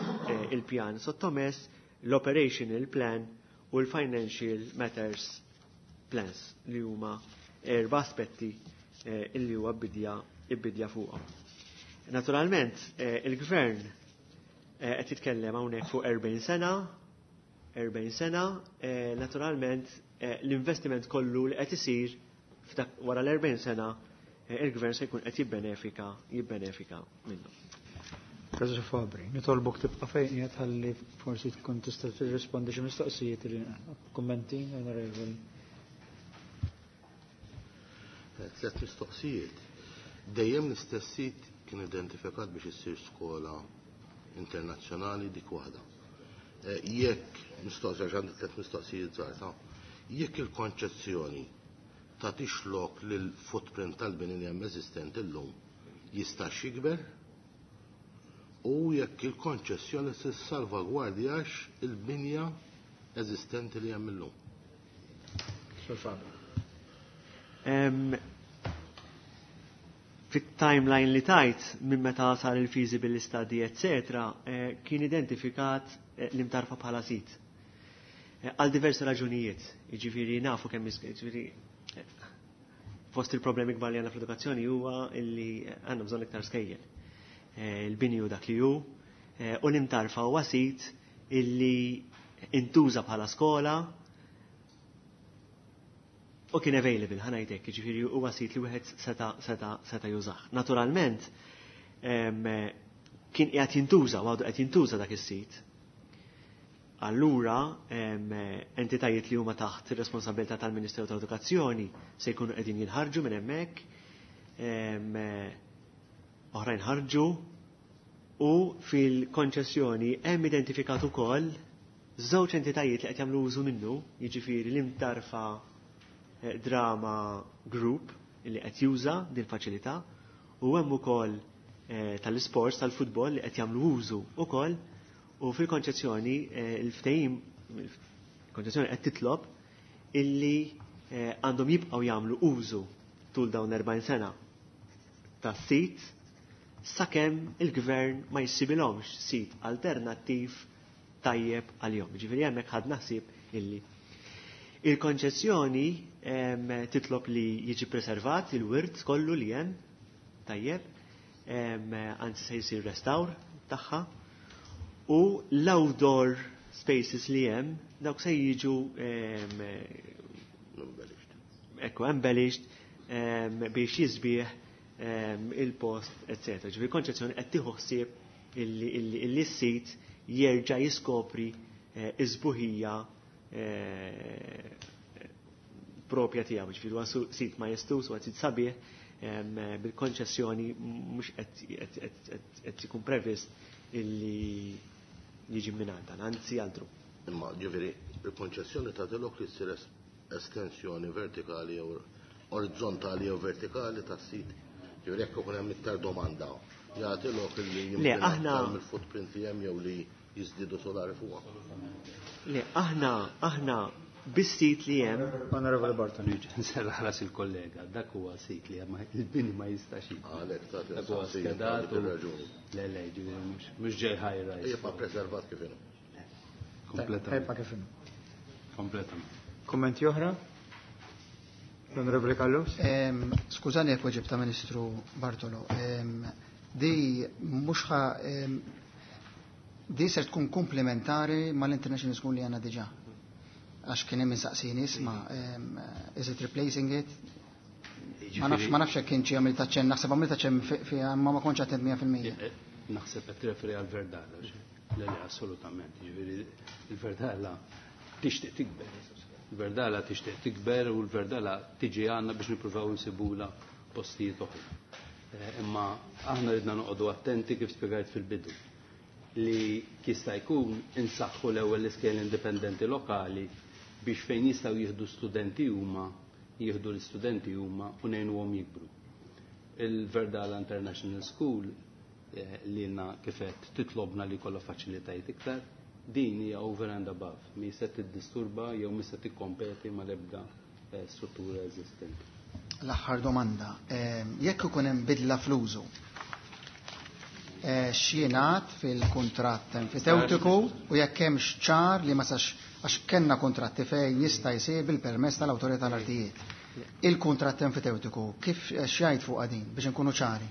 il-pjan sottomess, l-operational plan u l-financial matters plans li huma erba' aspetti illi huwa bidja bidja fuqhom. Naturalment, il-gvern qed jitkellem hawnhekk fuq erbgħin sena, erbgħin sena, naturalment l-investiment kollu li qed isir wara l-erbgħin sena il-gvern se jkun qed jibbenefika, jibbenefika minnu. Professor Fabri, nitolbok tibqa' fejn qiegħed ħalli forsi tkun tista' tirrispondi xi mistoqsijiet li kummenti, onorevoli. Tliet mistoqsijiet. Dejjem l-istess sit kien identifikat biex issir skola internazzjonali dik waħda. Jekk mistoqsija għax għandi tliet mistoqsijiet żgħar, ta' jekk il-konċezzjoni ta' tixlok lil footprint tal-bini li hemm eżistenti llum jistax jikber u jekk il-konċessjoni se salvagwardjax il-binja eżistenti li hemm illum. Fit-timeline li tajt minn meta sar il-feasibility study, eccetera, kien identifikat l-Imtarfa bħala sit. Għal diversi raġunijiet, jiġifieri nafu kemm jiġifieri fost il-problemi kbar li għandna fl-edukazzjoni huwa illi għandna bżonn iktar skejjel. Il-bini hu dak li hu, u l-Imtarfa huwa sit illi intuża bħala skola u kien available, ħa ngħidlek, jiġifieri huwa sit li wieħed seta' seta' seta' jużah. Naturalment, kien qiegħed jintuża u għadu qed jintuża dak is-sit. Allura, entitajiet li huma taħt ir-responsabilità tal-Ministeru tal-Edukazzjoni se jkunu qegħdin jinħarġu minn hemmhekk, oħrajn ħarġu, u fil-konċessjoni hemm identifikat ukoll żewġ entitajiet li qed jagħmlu użu minnu, jiġifieri l-Imtarfa Drama Group li qed juża din faċilità, u hemm ukoll tal-isports tal-futbol li qed jagħmlu użu ukoll, u fil-konċezzjoni il-ftehim, il-konċezzjoni qed titlob illi għandhom jibqgħu jagħmlu użu tul dawn erbgħin sena tas-sit sakemm il-gvern ma jsibilhomx sit alternattiv tajjeb għalihom. Ġifieri hemmhekk ħadna ħsieb illi il-konċessjoni titlob li jiġi preservat il-wirt kollu li hemm tajjeb, anzi se jsir restawr tagħha, u l-outdoor spaces li hemm dawk se jiġu ekku embellished biex jisbieħ il-post, eccetera. Ġifieri konċezzjoni qed tieħu ħsieb illi s-sit jerġa' jiskopri iż-sbuħija propja tiegħu. Ġifieri huwa sit majestuż, huwa sit sabiħ, bil-konċessjoni mhux qed ikun previst illi jiġi minn dan, anzi altru. Imma ġifieri il-konċessjoni tagħtilok li ssir estensjoni vertikali jew orizzontali jew vertikali tas-sit. Ġifieri jekk ikun hemm iktar domanda, jagħtilok li Le, aħna mill-footprint li hemm jew li jiżdiedu solari fuqha. Le, aħna aħna bis-sit li hemm. Onorevole Bartolo. Nserraħ ras il-kollega, dak huwa sit li hemm, il-bini ma jistax jibqa'. Għalhekk tagħti Dak huwa skedat u Le, le, ġifieri mhux mhux ġej high rise. Jibqa' preservat kif inhu. Kompletament. Jibqa' kif inhu. Kompletament. Kummenti oħra? L-Onorevole Callus? Skużani jekk weġibta Ministru Bartolo. Di mhux ħa di ser tkun komplementari mal-International School li għandna diġà. Għax kien hemm insaqsini isma' is it replacing it? Ma nafx ma nafx jekk kien xi għamil taċċen, naħseb għamil taċċen fiha imma ma kontx attent mija fil-mija. Naħseb qed tirreferi għal Verdala. Le, le, assolutament. Ġifieri il-Verdala tixtieq tikber. Il-Verdala tixtieq tikber u l-Verdala tiġi għandna biex nippruvaw insibula postijiet oħra. Imma aħna ridna noqogħdu attenti kif spjegajt fil-bidu li jista' jkun insaħħu l-ewwel l-iskejjel indipendenti lokali biex fejn jistgħu jieħdu studenti huma, jieħdu l-istudenti huma u ngħinuhom jikbru. Il-Verdala International School li lna kifet titlobna li kollha faċilitajiet iktar, din hija over and above, mi se tiddisturba jew mi se tikkompeti mal-ebda struttura eżistenti. L-aħħar domanda, jekk ikun hemm bidla fl-użu, x'jingħad fil-kuntratt enfiteutiku u jekk hemm ċar li ma sax għax kellna kuntratti fejn jista' jsir bil-permess tal-awtorità tal-artijiet. Il-kuntratt enfiteutiku kif x'jgħid fuq din biex inkunu ċari?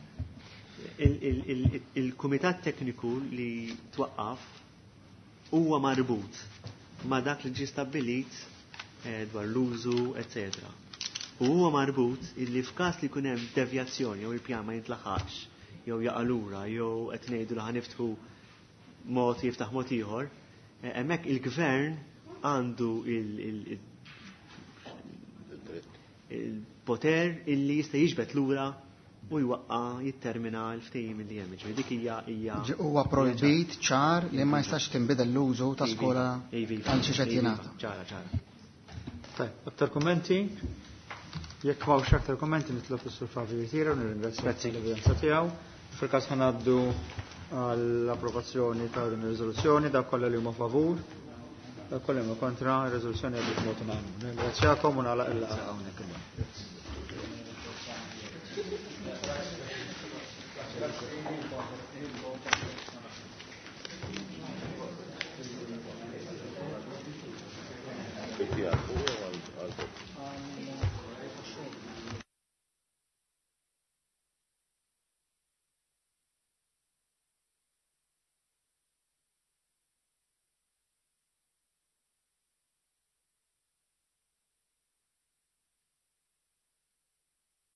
Il-kumitat tekniku li twaqqaf huwa marbut ma' dak li ġie stabbilit dwar l-użu, eccetera. U huwa marbut illi f'każ li jkun hemm devjazzjoni jew il-pjan ma jintlaħaqx jew jaqa' lura jew qed ngħidu li ħaniftħu mod jiftaħ mod ieħor, hemmhekk il-gvern għandu il-poter illi jista' jiġbed lura u jwaqqa jittermina l-ftehim li hemm. Ġifieri dik hija hija Huwa projbit ċar li ma jistax tinbidel l-użu ta' skola għal xi qed jingħata. Ċara, ċara. Tajb, aktar kummenti? Jekk m'hawnx aktar kummenti nitlob is-Sur Fabio jirtira u nirringrazzja l-evidenza tiegħu. Fil-każ ħanaddu għall-approvazzjoni ta' din ir-riżoluzzjoni, dak kollha li huma favur, dak kollha li huma kontra, ir-riżoluzzjoni għaddiet b'mod unanimu. Nirringrazzjakom u nagħlaq il-laqgħa hawnhekk illum. Yeah.